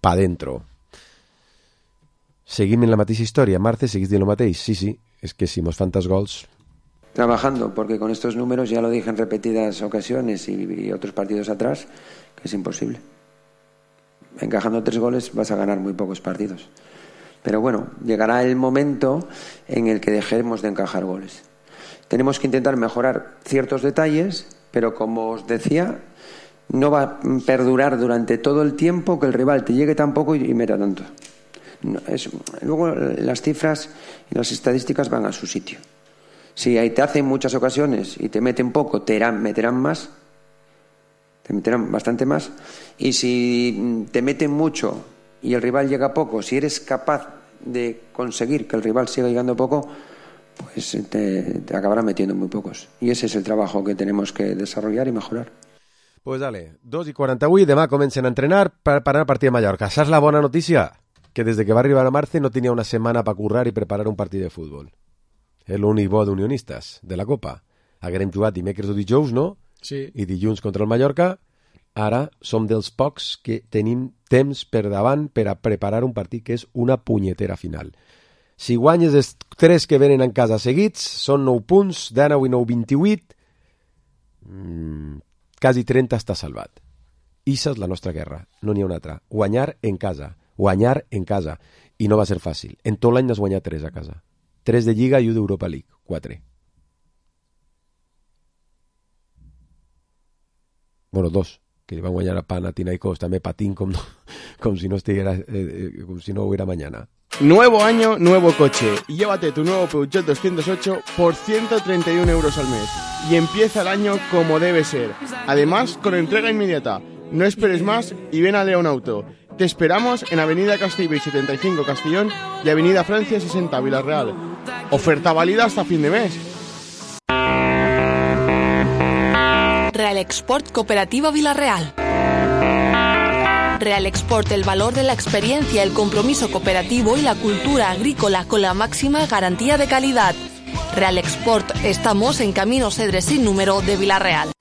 Pa dentro. Seguim en la mateixa història. Marce, seguís dient el mateix? Sí, sí, es que si mos fan tants gols... Trabajando, porque con estos números, ya lo dije en repetidas ocasiones y, y otros partidos atrás, que es imposible. Encajando tres goles vas a ganar muy pocos partidos. Pero bueno, llegará el momento en el que dejemos de encajar goles. Tenemos que intentar mejorar ciertos detalles, pero como os decía, no va a perdurar durante todo el tiempo que el rival te llegue tan poco y, y meta tanto. No, es, luego las cifras y las estadísticas van a su sitio. Si ahí te hacen muchas ocasiones y te meten poco, te irán, meterán más, te meterán bastante más. Y si te meten mucho y el rival llega poco, si eres capaz de conseguir que el rival siga llegando poco, pues te, te acabarán metiendo muy pocos. Y ese es el trabajo que tenemos que desarrollar y mejorar. Pues dale, dos i quaranta-vuit, demà comencen a entrenar per parar el partit de Mallorca. Saps la bona notícia? Que des que va arribar a Marce no tenia una setmana per currar i preparar un partit de futbol. És l'únic bo d'unionistes, de la Copa. Haguem jugat dimecres o dijous, no? Sí. I dilluns contra el Mallorca. Ara som dels pocs que tenim temps per davant per a preparar un partit que és una punyetera final. Si guanyes els tres que venen en casa seguits, són nou punts, dinou i nou, vint-i-vuit. Mm, quasi trenta està salvat. Issa és la nostra guerra, no n'hi ha una altra. Guanyar en casa. Guanyar en casa. I no va ser fàcil. En tot l'any n'has guanyat tres a casa. Tres de Lliga i un d'Europa League. Quatre. Bueno, dos. Que li van guanyar a Panathinaikos. També patint com, com, si no estiguera, eh, com si no hubiera mañana. Nuevo año, nuevo coche. Y llévate tu nuevo Peugeot doscientos ocho por ciento treinta y uno euros al mes. Y empieza el año como debe ser. Además, con entrega inmediata. No esperes más y ven a León Auto. Te esperamos en Avenida Castellbell setenta y cinco Castellón y Avenida Francia sesenta Villarreal. Oferta válida hasta fin de mes. Real Export Cooperativa Villarreal. Real Export, el valor de la experiencia, el compromiso cooperativo y la cultura agrícola con la máxima garantía de calidad. Real Export, estamos en Camino Cedres sin número de Villarreal.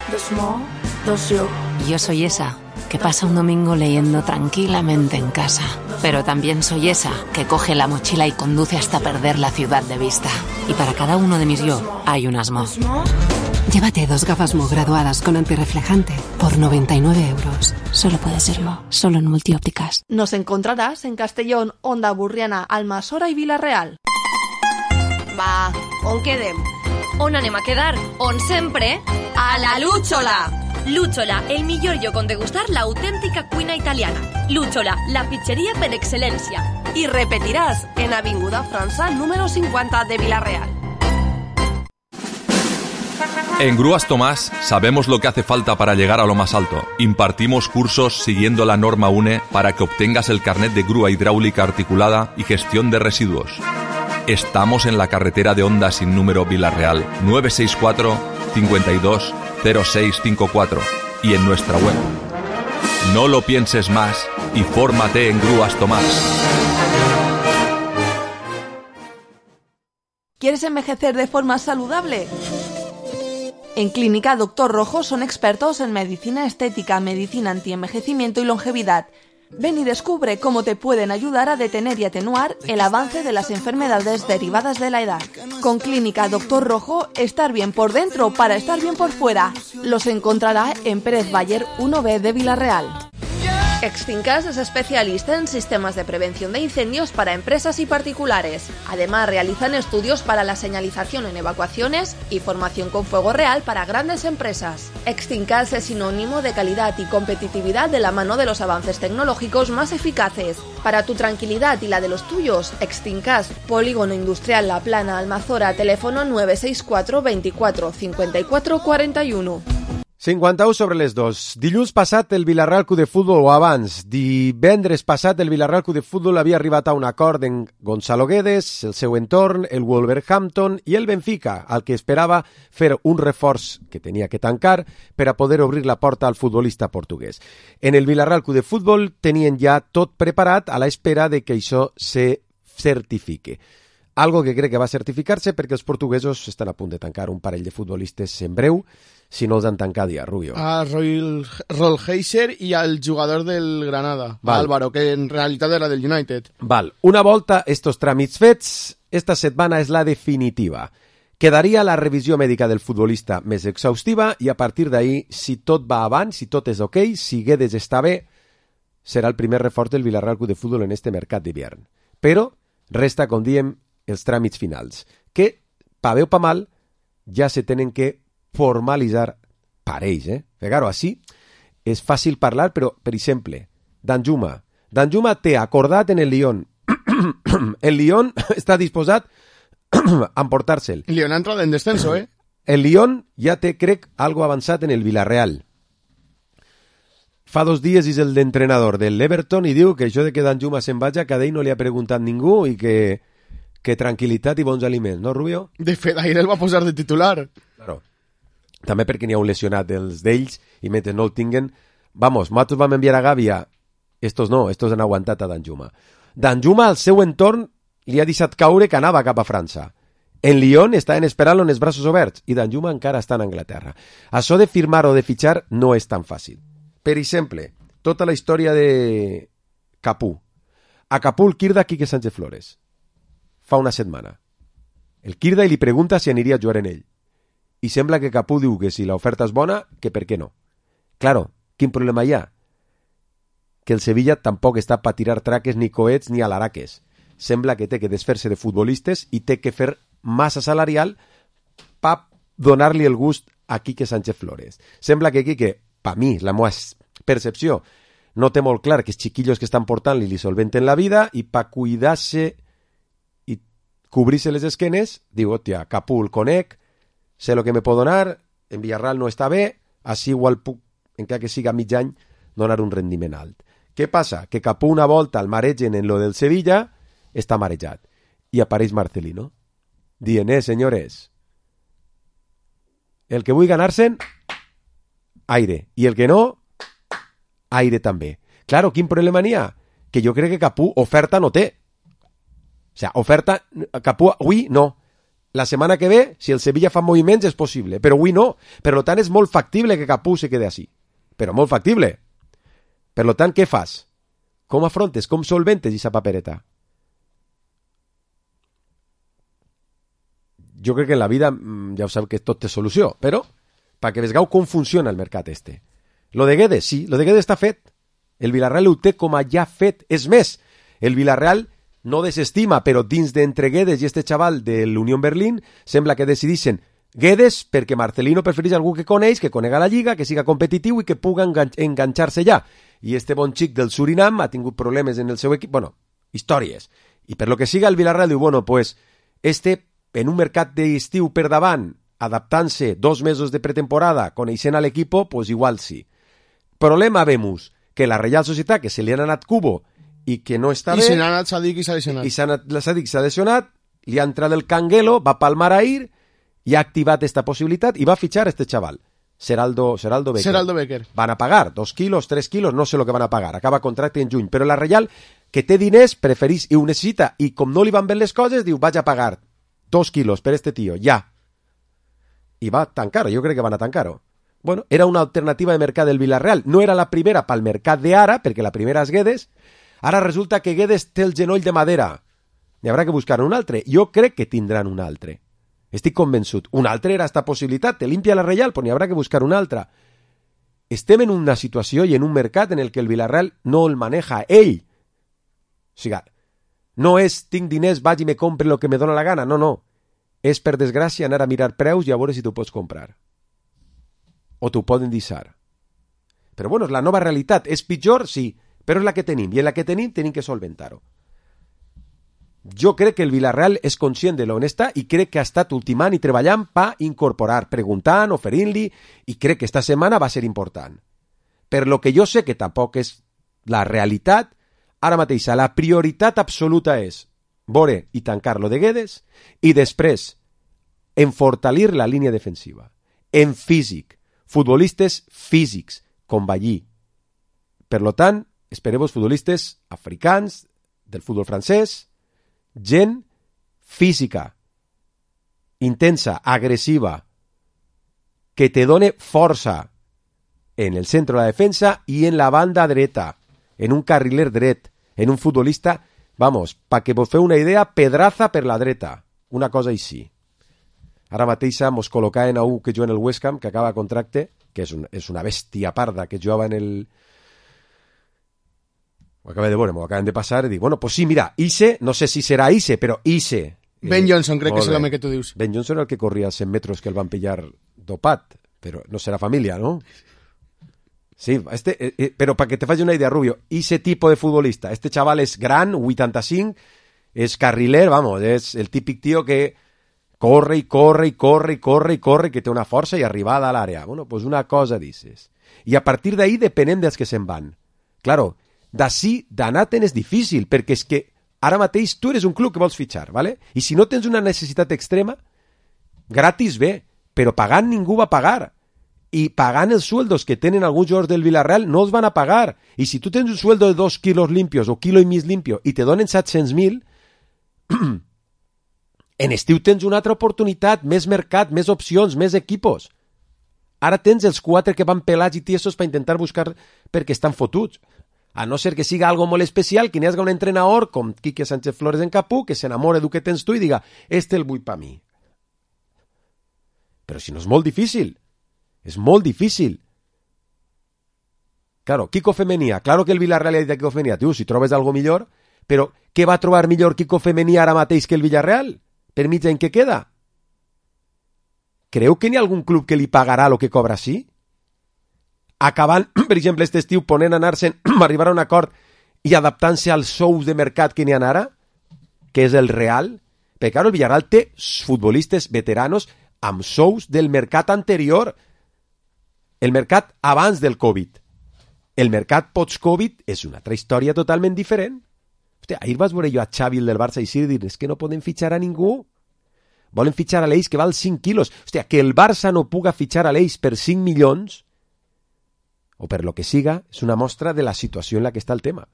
Yo soy esa que pasa un domingo leyendo tranquilamente en casa. Pero también soy esa que coge la mochila y conduce hasta perder la ciudad de vista. Y para cada uno de mis yo hay un Asmo. Llévate dos gafas Mo graduadas con antirreflejante por noventa y nueve euros. Solo puede ser Mo, solo en Multiópticas. Nos encontrarás en Castellón, Onda Burriana, Almassora i Villarreal. Va, on quedem? On anem a quedar? On sempre? A la Lúchola! Lúchola, el millor lloc on degustar l'autèntica cuina italiana. Lúchola, la pizzeria per excel·lència. Y repetirás en Avinguda França, número cincuenta de Villarreal. En Grúas Tomás sabemos lo que hace falta para llegar a lo más alto. Impartimos cursos siguiendo la norma U N E para que obtengas el carnet de grúa hidráulica articulada y gestión de residuos. Estamos en la carretera de Onda sin número Villarreal, nueve seis cuatro, cincuenta y dos, cero seis cinco cuatro y en nuestra web. No lo pienses más y fórmate en Grúas Tomás. ¿Quieres envejecer de forma saludable? En Clínica Doctor Rojo son expertos en medicina estética, medicina antienvejecimiento y longevidad. Ven y descubre cómo te pueden ayudar a detener y atenuar el avance de las enfermedades derivadas de la edad. Con Clínica Doctor Rojo, estar bien por dentro para estar bien por fuera. Los encontrará en Pérez Bayer uno B de Villarreal. Extincas es especialista en sistemas de prevención de incendios para empresas y particulares. Además, realizan estudios para la señalización en evacuaciones y formación con fuego real para grandes empresas. Extincas es sinónimo de calidad y competitividad de la mano de los avances tecnológicos más eficaces. Para tu tranquilidad y la de los tuyos, Extincas, Polígono Industrial La Plana, Almazora, teléfono nueve seis cuatro, veinticuatro, cincuenta y cuatro, cuarenta y uno. cinquanta-u sobre les dos. Dilluns passat el Villarreal Club de Futbol, o abans, divendres passat el Villarreal Club de Futbol havia arribat a un acord en Gonzalo Guedes, el seu entorn, el Wolverhampton i el Benfica, al que esperava fer un reforç que tenia que tancar per a poder obrir la porta al futbolista portuguès. En el Villarreal Club de Futbol tenien ja tot preparat a l'espera de que això se certifique. Algo que crec que va certificar-se perquè els portuguesos estan a punt de tancar un parell de futbolistes en breu, si no els han tancat ja, Rubio. A Roy Rolheiser i al jugador del Granada, Val. Álvaro, que en realitat era del United. Val. Una volta estos tràmits fets, esta setmana és la definitiva. Quedaria la revisió mèdica del futbolista més exhaustiva i a partir d'ahí, si tot va avant, si tot és ok, si Guedes està bé, serà el primer reforç del Villarreal Club de Futbol en este mercat d'hivern. Però resta, com diem, els tràmits finals, que, pa bé o pa mal, ja se tenen que formalitzar per ells, eh? Ficar-ho així, és fàcil parlar, però, per exemple, Danjuma. Danjuma té acordat en el Lyon. El Lyon està disposat a emportar-se'l. El Lyon ha entrat en descenso, eh? El Lyon ja té, crec, algo avançat en el Villarreal. Fa dos dies és el d'entrenador de l'Everton i diu que això de que Danjuma se'n vagi a Cadell no li ha preguntat ningú i que, que tranquil·litat i bons aliments, no, Rubio? De fet, ahir el va posar de titular. Claro. També perquè n'hi ha un lesionat dels d'ells i mentre no el tinguen, vamos, nosaltres vam enviar a Gàbia, estos no, estos han aguantat a Danjuma. Danjuma al seu entorn li ha deixat caure que anava cap a França. En Lyon estaven esperant-lo en els braços oberts i Danjuma encara està en Anglaterra. Això de firmar o de fitxar no és tan fàcil. Per exemple, tota la història de Capú. A Capú el Quirda Quique Sánchez Flores. Fa una setmana. El Quirda li pregunta si aniria a jugar en ell. I sembla que Capú diu que si l'oferta és bona, que per què no. Claro, quin problema hi ha? Que el Sevilla tampoc està per tirar traques ni coets ni alaraques. Sembla que té que desfer-se de futbolistes i té que fer massa salarial per donar-li el gust a Quique Sánchez Flores. Sembla que Quique, per mi, la meva percepció, no té molt clar que els xiquillos que estan portant-li li solventen la vida i per cuidar-se i cobrir-se les esquenes, diu, hòstia, Capú el conec, sé lo que me pot donar, en Villarreal no està bé, així igual puc, encara que siga mig any, donar un rendiment alt. Què passa? Que Capú una volta al maregen en lo del Sevilla, està marejat. I apareix Marcelino, dient, eh, senyores, el que vull ganar-se'n, aire. I el que no, aire també. Claro, quin problema n'hi ha? Que jo crec que Capú oferta no té. O sigui, oferta, Capú, avui no. La setmana que ve, si el Sevilla fa moviments, és possible, però avui no. Per tant, és molt factible que Capú se quede així. Però molt factible. Per tant, què fas? Com afrontes? Com solventes aquesta papereta? Jo crec que en la vida, ja ho sap que tot té solució, però perquè vegeu com funciona el mercat este. Lo de Guedes, sí, lo de Guedes està fet. El Villarreal ho té com a ja fet. És més, el Villarreal no desestima, però dins d'entre Guedes i este xaval de l'Unión Berlín sembla que decidissin Guedes perquè Marcelino prefereix algú que coneix, que conega la lliga, que siga competitiu i que puga engan enganxar-se ja. I este bon xic del Surinam ha tingut problemes en el seu equip, bueno, històries. I per lo que siga el Villarreal diu, bueno, pues este en un mercat d'estiu per davant, adaptant-se dos mesos de pretemporada, coneixent a l'equipo, pues igual sí. Problema vemos que la Real Societat, que se li han anat Cubo i que no està I bé... I se n'ha anat Sadik i s'ha lesionat. I s'ha anat Sadik i s'ha lesionat, li ha entrat el Canguelo, va palmar ahir i ha activat esta possibilitat i va fitxar este xaval, Seraldo, Seraldo Becker. Seraldo Becker. Van a pagar dos quilos, tres quilos, no sé lo que van a pagar, acaba contracte en juny, però la Real, que té diners, preferís i ho necessita, i com no li van bé les coses, diu, vaig a pagar dos quilos per este tio, ja. I va tancar-ho, jo crec que van a tancar-ho. Bueno, era una alternativa de mercat del Villarreal, no era la primera pel mercat d'ara, perquè la primera és Guedes. Ara resulta que Guedes té el genoll de madera. N'hi haurà que buscar un altre. Jo crec que tindran un altre. Estic convençut. Un altre era esta possibilitat. Te limpia la Reial, però n'hi haurà que buscar un altre. Estem en una situació i en un mercat en el que el Villarreal no el maneja ell. O sigui, no és tinc diners, vaig i me compre el que me dóna la gana. No, no. És, per desgràcia, anar a mirar preus i a veure si t'ho pots comprar. O t'ho poden deixar. Però bueno, és la nova realitat. És pitjor, sí, però és la que tenim. I en la que tenim tenim que solventar-ho. Jo crec que el Villarreal és conscient de l'on està i crec que ha estat ultimant i treballant per incorporar, preguntant, oferint-li, i crec que esta setmana va ser important. Per lo que jo sé que tampoc és la realitat, ara mateix la prioritat absoluta és veure i tancar-lo de Guedes i després enfortalir la línia defensiva. En físic, futbolistes físics, com Ballí. Per lo tant, espereu-vos futbolistes africans, del futbol francès, gent física, intensa, agressiva, que te done força en el centre de la defensa i en la banda dreta, en un carriler dret, en un futbolista, vamos, pa que vos feu una idea, Pedraza per la dreta, una cosa així. Ara mateix mos col·locaven a un que juga en el West Ham, que acaba contracte, que és, un, és una bèstia parda, que jugava en el... Ho acabé de veure, m'ho acaben de passar, i dic, bueno, pues sí, mira, Ise, no sé si serà Ise, però Ise... Ben eh, Johnson, crec que és l'home que tu dius. Ben Johnson era el que corria cent metres que el van pillar dopat, però no serà família, ¿no? Sí, este, eh, eh, pero para que te faci una idea, Rubio, ese tipo de futbolista, este chaval es gran, vuitanta-cinc, es carriler, vamos, es el típic tío que corre y corre y corre y corre y corre, que té una força i arribada a l'àrea. Bueno, pues una cosa dices. I a partir d'ahí depenent dels que se'n van. Claro, d'ací d'anar-te'n és difícil, perquè és que ara mateix tu eres un club que vols fitxar, ¿vale? I si no tens una necessitat extrema, gratis bé, però pagant ningú va pagar. Y pagant els sueldos que tenen alguns jugadors del Villarreal no els van a pagar. Y si tu tens un sueldo de dos kilos limpios o kilo i mig limpio i te donen set-cents mil, en estiu tens una altra oportunitat, més mercat, més opcions, més equipos. Ara tens els quatre que van pelats i tiesos per intentar buscar perquè estan fotuts. A no ser que siga algo molt especial, que n'hi hagi un entrenador com Quique Sánchez Flores en Capú, que s'enamore del que tens tu i diga, este el vull pa mi. Però si no és molt difícil. És molt difícil. Claro, Kiko Femenia, claro que el Villarreal ha dit a Kiko Femenia, tu, si trobes algo millor, però què va trobar millor Kiko Femenia ara mateix que el Villarreal? Per mig en què queda? Creu que n'hi ha algun club que li pagarà el que cobra així? Acabant, per exemple, aquest estiu ponent anar-se'n, arribar a un acord i adaptant-se als sous de mercat que n'hi ha ara, que és el Real, perquè, claro, el Villarreal té futbolistes veteranos amb sous del mercat anterior. El mercat abans del Covid. El mercat post-Covid és una altra història totalment diferent. Hòstia, ahir vas veure jo a Xavi del Barça i sí dir, és que no poden fitxar a ningú. Volen fitxar a l'Eix que val cinc quilos. Hòstia, que el Barça no puga fitxar a l'Eix per cinc milions o per lo que siga, és una mostra de la situació en la que està el tema.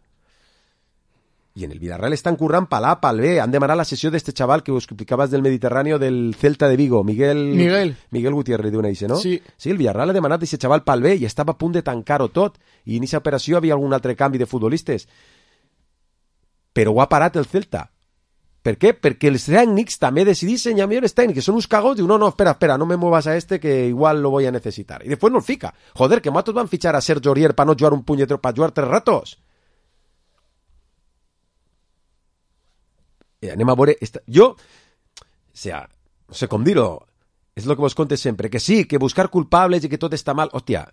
I en el Villarreal estan currant per l'A, per B. Han demanat la sessió d'este xaval que us explicaves del Mediterráneo del Celta de Vigo, Miguel... Miguel. Miguel Gutiérrez, diuen això, no? Sí. Sí, el Villarreal ha demanat aquest xaval per B i estava a punt de tancar-ho tot. I en aquesta operació havia algun altre canvi de futbolistes. Però ho ha parat el Celta. Per què? Perquè els tècnics també decidissin, ja millors tècnics, són uns cagons, diu, no, no, espera, espera, no me muevas a este que igual lo voy a necesitar. I després no el fica. Joder, que matos van fichar a Sergio Aurier para no jugar un puñetero, para jugar tres ratos. Eh, anem a veure... Esta... Jo, o sea, no sé com dir-ho, és el que vos conte sempre, que sí, que buscar culpables i que tot està mal, hòstia,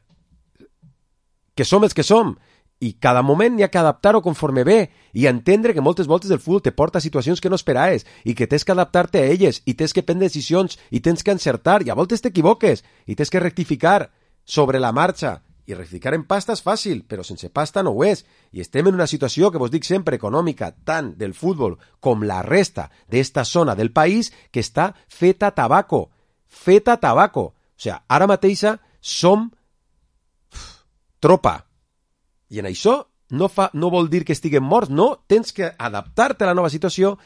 que som els que som, i cada moment n'hi ha que adaptar-ho conforme ve, i entendre que moltes voltes el futbol te porta a situacions que no esperaves, i que tens que adaptar-te a elles, i tens que prendre decisions, i tens que encertar, i a voltes t'equivoques, i tens que rectificar sobre la marxa, i rectificar en pasta és fàcil, però sense pasta no ho és. I estem en una situació que vos dic sempre econòmica, tant del futbol com la resta d'esta zona del país, que està feta tabaco. Feta tabaco. O sigui, ara mateixa som tropa. I en això no, fa, no vol dir que estiguem morts, no. Tens que adaptar-te a la nova situació,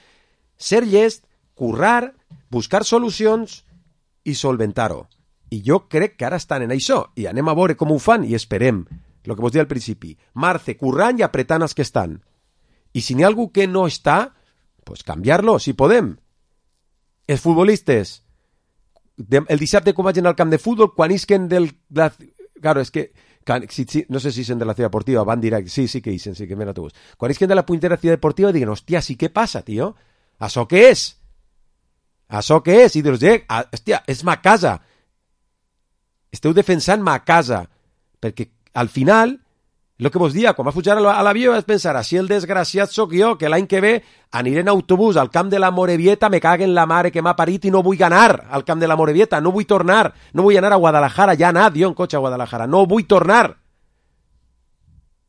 ser llest, currar, buscar solucions i solventar-ho. I jo crec que ara estan en això, i anem a veure com ho fan, i esperem, el que vos deia al principi, Marce, currant i apretant els que estan. I si n'hi ha algú que no està, pues canviar-lo, si podem. Els futbolistes, el dissabte quan vaig anar al camp de futbol, quan isquen del... La, claro, és que, si, si, no sé si isen de la ciudad deportiva, van directe, sí, sí que isen, sí que ven autobús. Quan isquen de la puntera ciudad deportiva, diguen, hòstia, sí, què passa, tio? Això què és? Això què és? I dius, eh, hòstia, és ma casa. Esteu defensant-me a casa, perquè al final El que vos dia, quan vas pujar a l'avió vas pensar, així el desgraciat sóc jo, que l'any que ve aniré en autobús al camp de la Morevieta, me caguen la mare que m'ha parit i no vull anar al camp de la Morevieta, no vull tornar, no vull anar a Guadalajara, ja he anat jo en cotxe a Guadalajara, no vull tornar.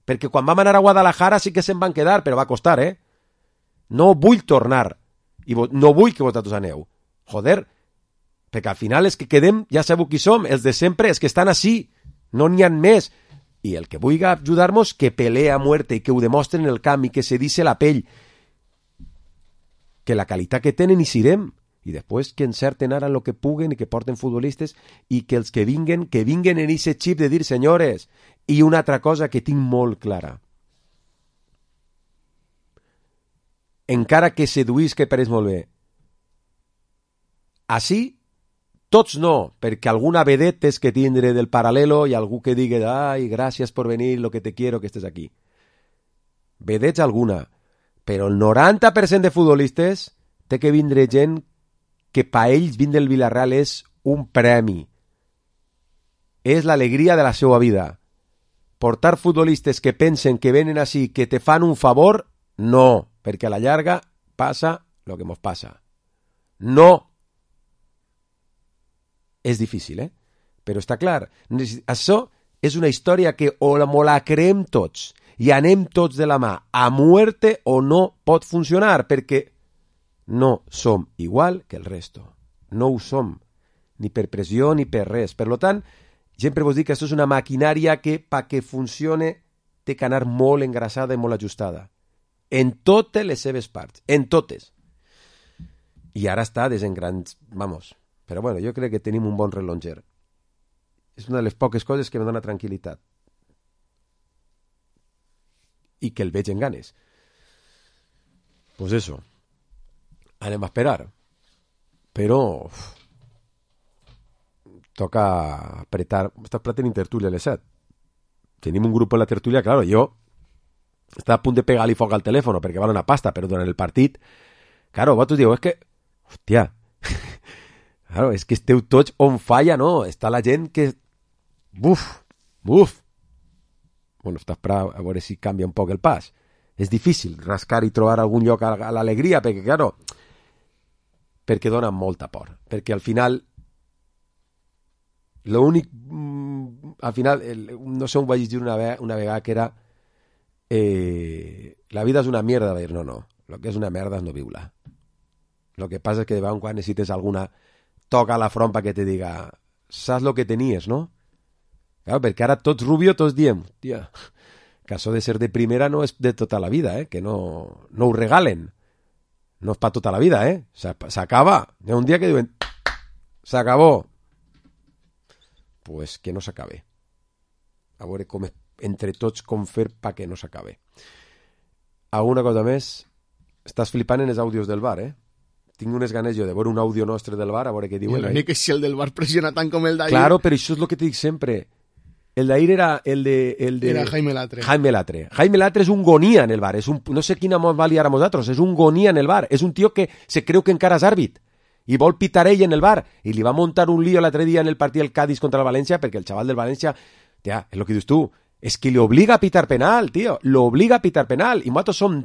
Perquè quan vam anar a Guadalajara sí que se'n van quedar, però va costar, eh? No vull tornar, i no vull que vosaltres aneu. Joder, perquè al final els que quedem, ja sabeu qui som, els de sempre, els que estan així, no n'hi ha més. I el que vulgui ajudar-nos, que pelee a muerte i que ho demostren en el camp i que se dice la pell. Que la qualitat que tenen hi sirem. I després que encerten ara en el que puguen i que porten futbolistes i que els que vinguen, que vinguen en ese xip de dir, senyores, i una altra cosa que tinc molt clara. Encara que seduís que pareix molt bé. Així, tots no, perquè alguna vedet és que tindre del paral·lelo i algú que digui, ai, gràcies per venir, lo que te quiero que estés aquí. Vedets alguna, però el noranta per cent de futbolistes té que vindre gent que pa ells vindre el Villarreal és un premi. És l'alegria de la seva vida. Portar futbolistes que pensen que venen així, que te fan un favor, no, perquè a la llarga passa lo que mos passa. No. És difícil, eh? Però està clar. Això és una història que o la, o la creem tots i anem tots de la mà a muerte o no pot funcionar, perquè no som igual que el resto. No ho som, ni per pressió ni per res. Per tant, sempre vos dic que això és una maquinària que, pa que funcione, té que anar molt engraçada i molt ajustada. En totes les seves parts. En totes. I ara està desengrans... Vamos... Però bueno, jo crec que tenim un bon relonger. És una de les poques coses que me dona tranquil·litat. I que el veig en ganes. Pues eso. Anem a esperar. Però... Uf, toca apretar... Estàs platent en tertúlia a les set. Tenim un grup en la tertúlia, claro, jo estava a punt de pegar-li foc al telèfon perquè val una pasta, però durant el partit... Claro, vosaltres dieu, és que... Hòstia... Claro, és que esteu tots on falla, no? Està la gent que... Buf, buf. Bueno, està esperant a veure si canvia un poc el pas. És difícil rascar i trobar algun lloc a l'alegria, perquè, claro, perquè dona molta por. Perquè al final, l'únic... Al final, no sé on vaig dir una, ve una vegada que era eh, la vida és una mierda. Va dir, no, no, lo que és una merda és no viure. Lo que passa és que de vegades quan necessites alguna... toca la front que te diga, saps lo que tenies, no? Claro, perquè ara tots rubio, tots diem, tia, que això de ser de primera no és de tota la vida, eh? Que no, no ho regalen. No és per tota la vida, eh? S'acaba. Hi ha un dia que diuen, s'acabó. Pues que no s'acabe. A veure com, entre tots, com fer perquè no s'acabe. Alguna cosa més? Estàs flipant en els àudios del bar, eh? Tinc unes ganes jo de veure un àudio nostre del bar, a veure què diuen. L'únic és si el del bar pressiona tant com el d'ahir. Claro, però això és el que te dic sempre. El d'ahir era el de... El de... Era Jaime Latre. Jaime Latre. Jaime Latre és un gonía en el bar. És un... No sé quina mos va liar a nosaltres. És un gonía en el bar. És un tio que se creu que encara és àrbit. I vol pitar ell en el bar. I li va muntar un lío l'altre dia en el partit del Cádiz contra el València, perquè el xaval del València... Tia, és el que dius tu. És que li obliga a pitar penal, tio. Lo obliga a pitar penal. I nosaltres som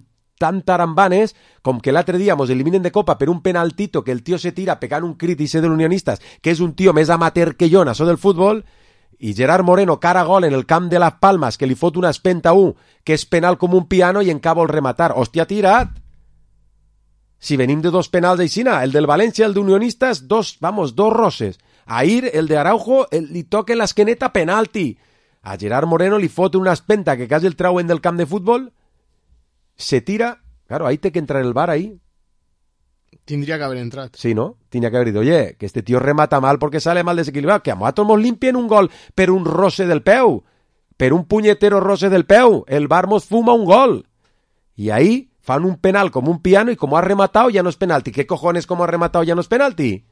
tan tarambanes com que l'altre dia mos eliminen de copa per un penaltito que el tio se tira pegant un crit i ser de l'Unionistas, que és un tio més amateur que jo en això del futbol, i Gerard Moreno cara gol en el camp de Las Palmas, que li fot una espenta a un, que és penal com un piano i encara vol rematar. Hòstia, tirat! Si venim de dos penals aixina, el del València, el d'Unionistas, dos, vamos, dos roses. Ahir, el de Araujo, el, li toca en l'esqueneta penalti. A Gerard Moreno li fot una espenta que quasi el trauen del camp de futbol. Se tira, claro, ahí te que entrar en el bar ahí. Tindria que haver entrat. Sí, ¿no? Tendría que haber dicho, oye, que este tío remata mal porque sale mal desequilibrado, que a nosotros nos limpien un gol per un roce del peu, per un puñetero roce del peu, el bar mos fuma un gol. Y ahí fan un penal como un piano y como ha rematado ya no es penalti. ¿Qué cojones como ha rematado ya no es penalti?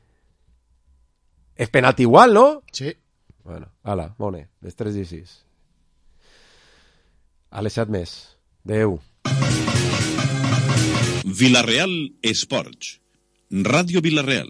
Es penalti igual, ¿no? Sí. Bueno, ala, mone, les tres i sis. A les set més. Adéu. Villarreal Esports. Ràdio Villarreal.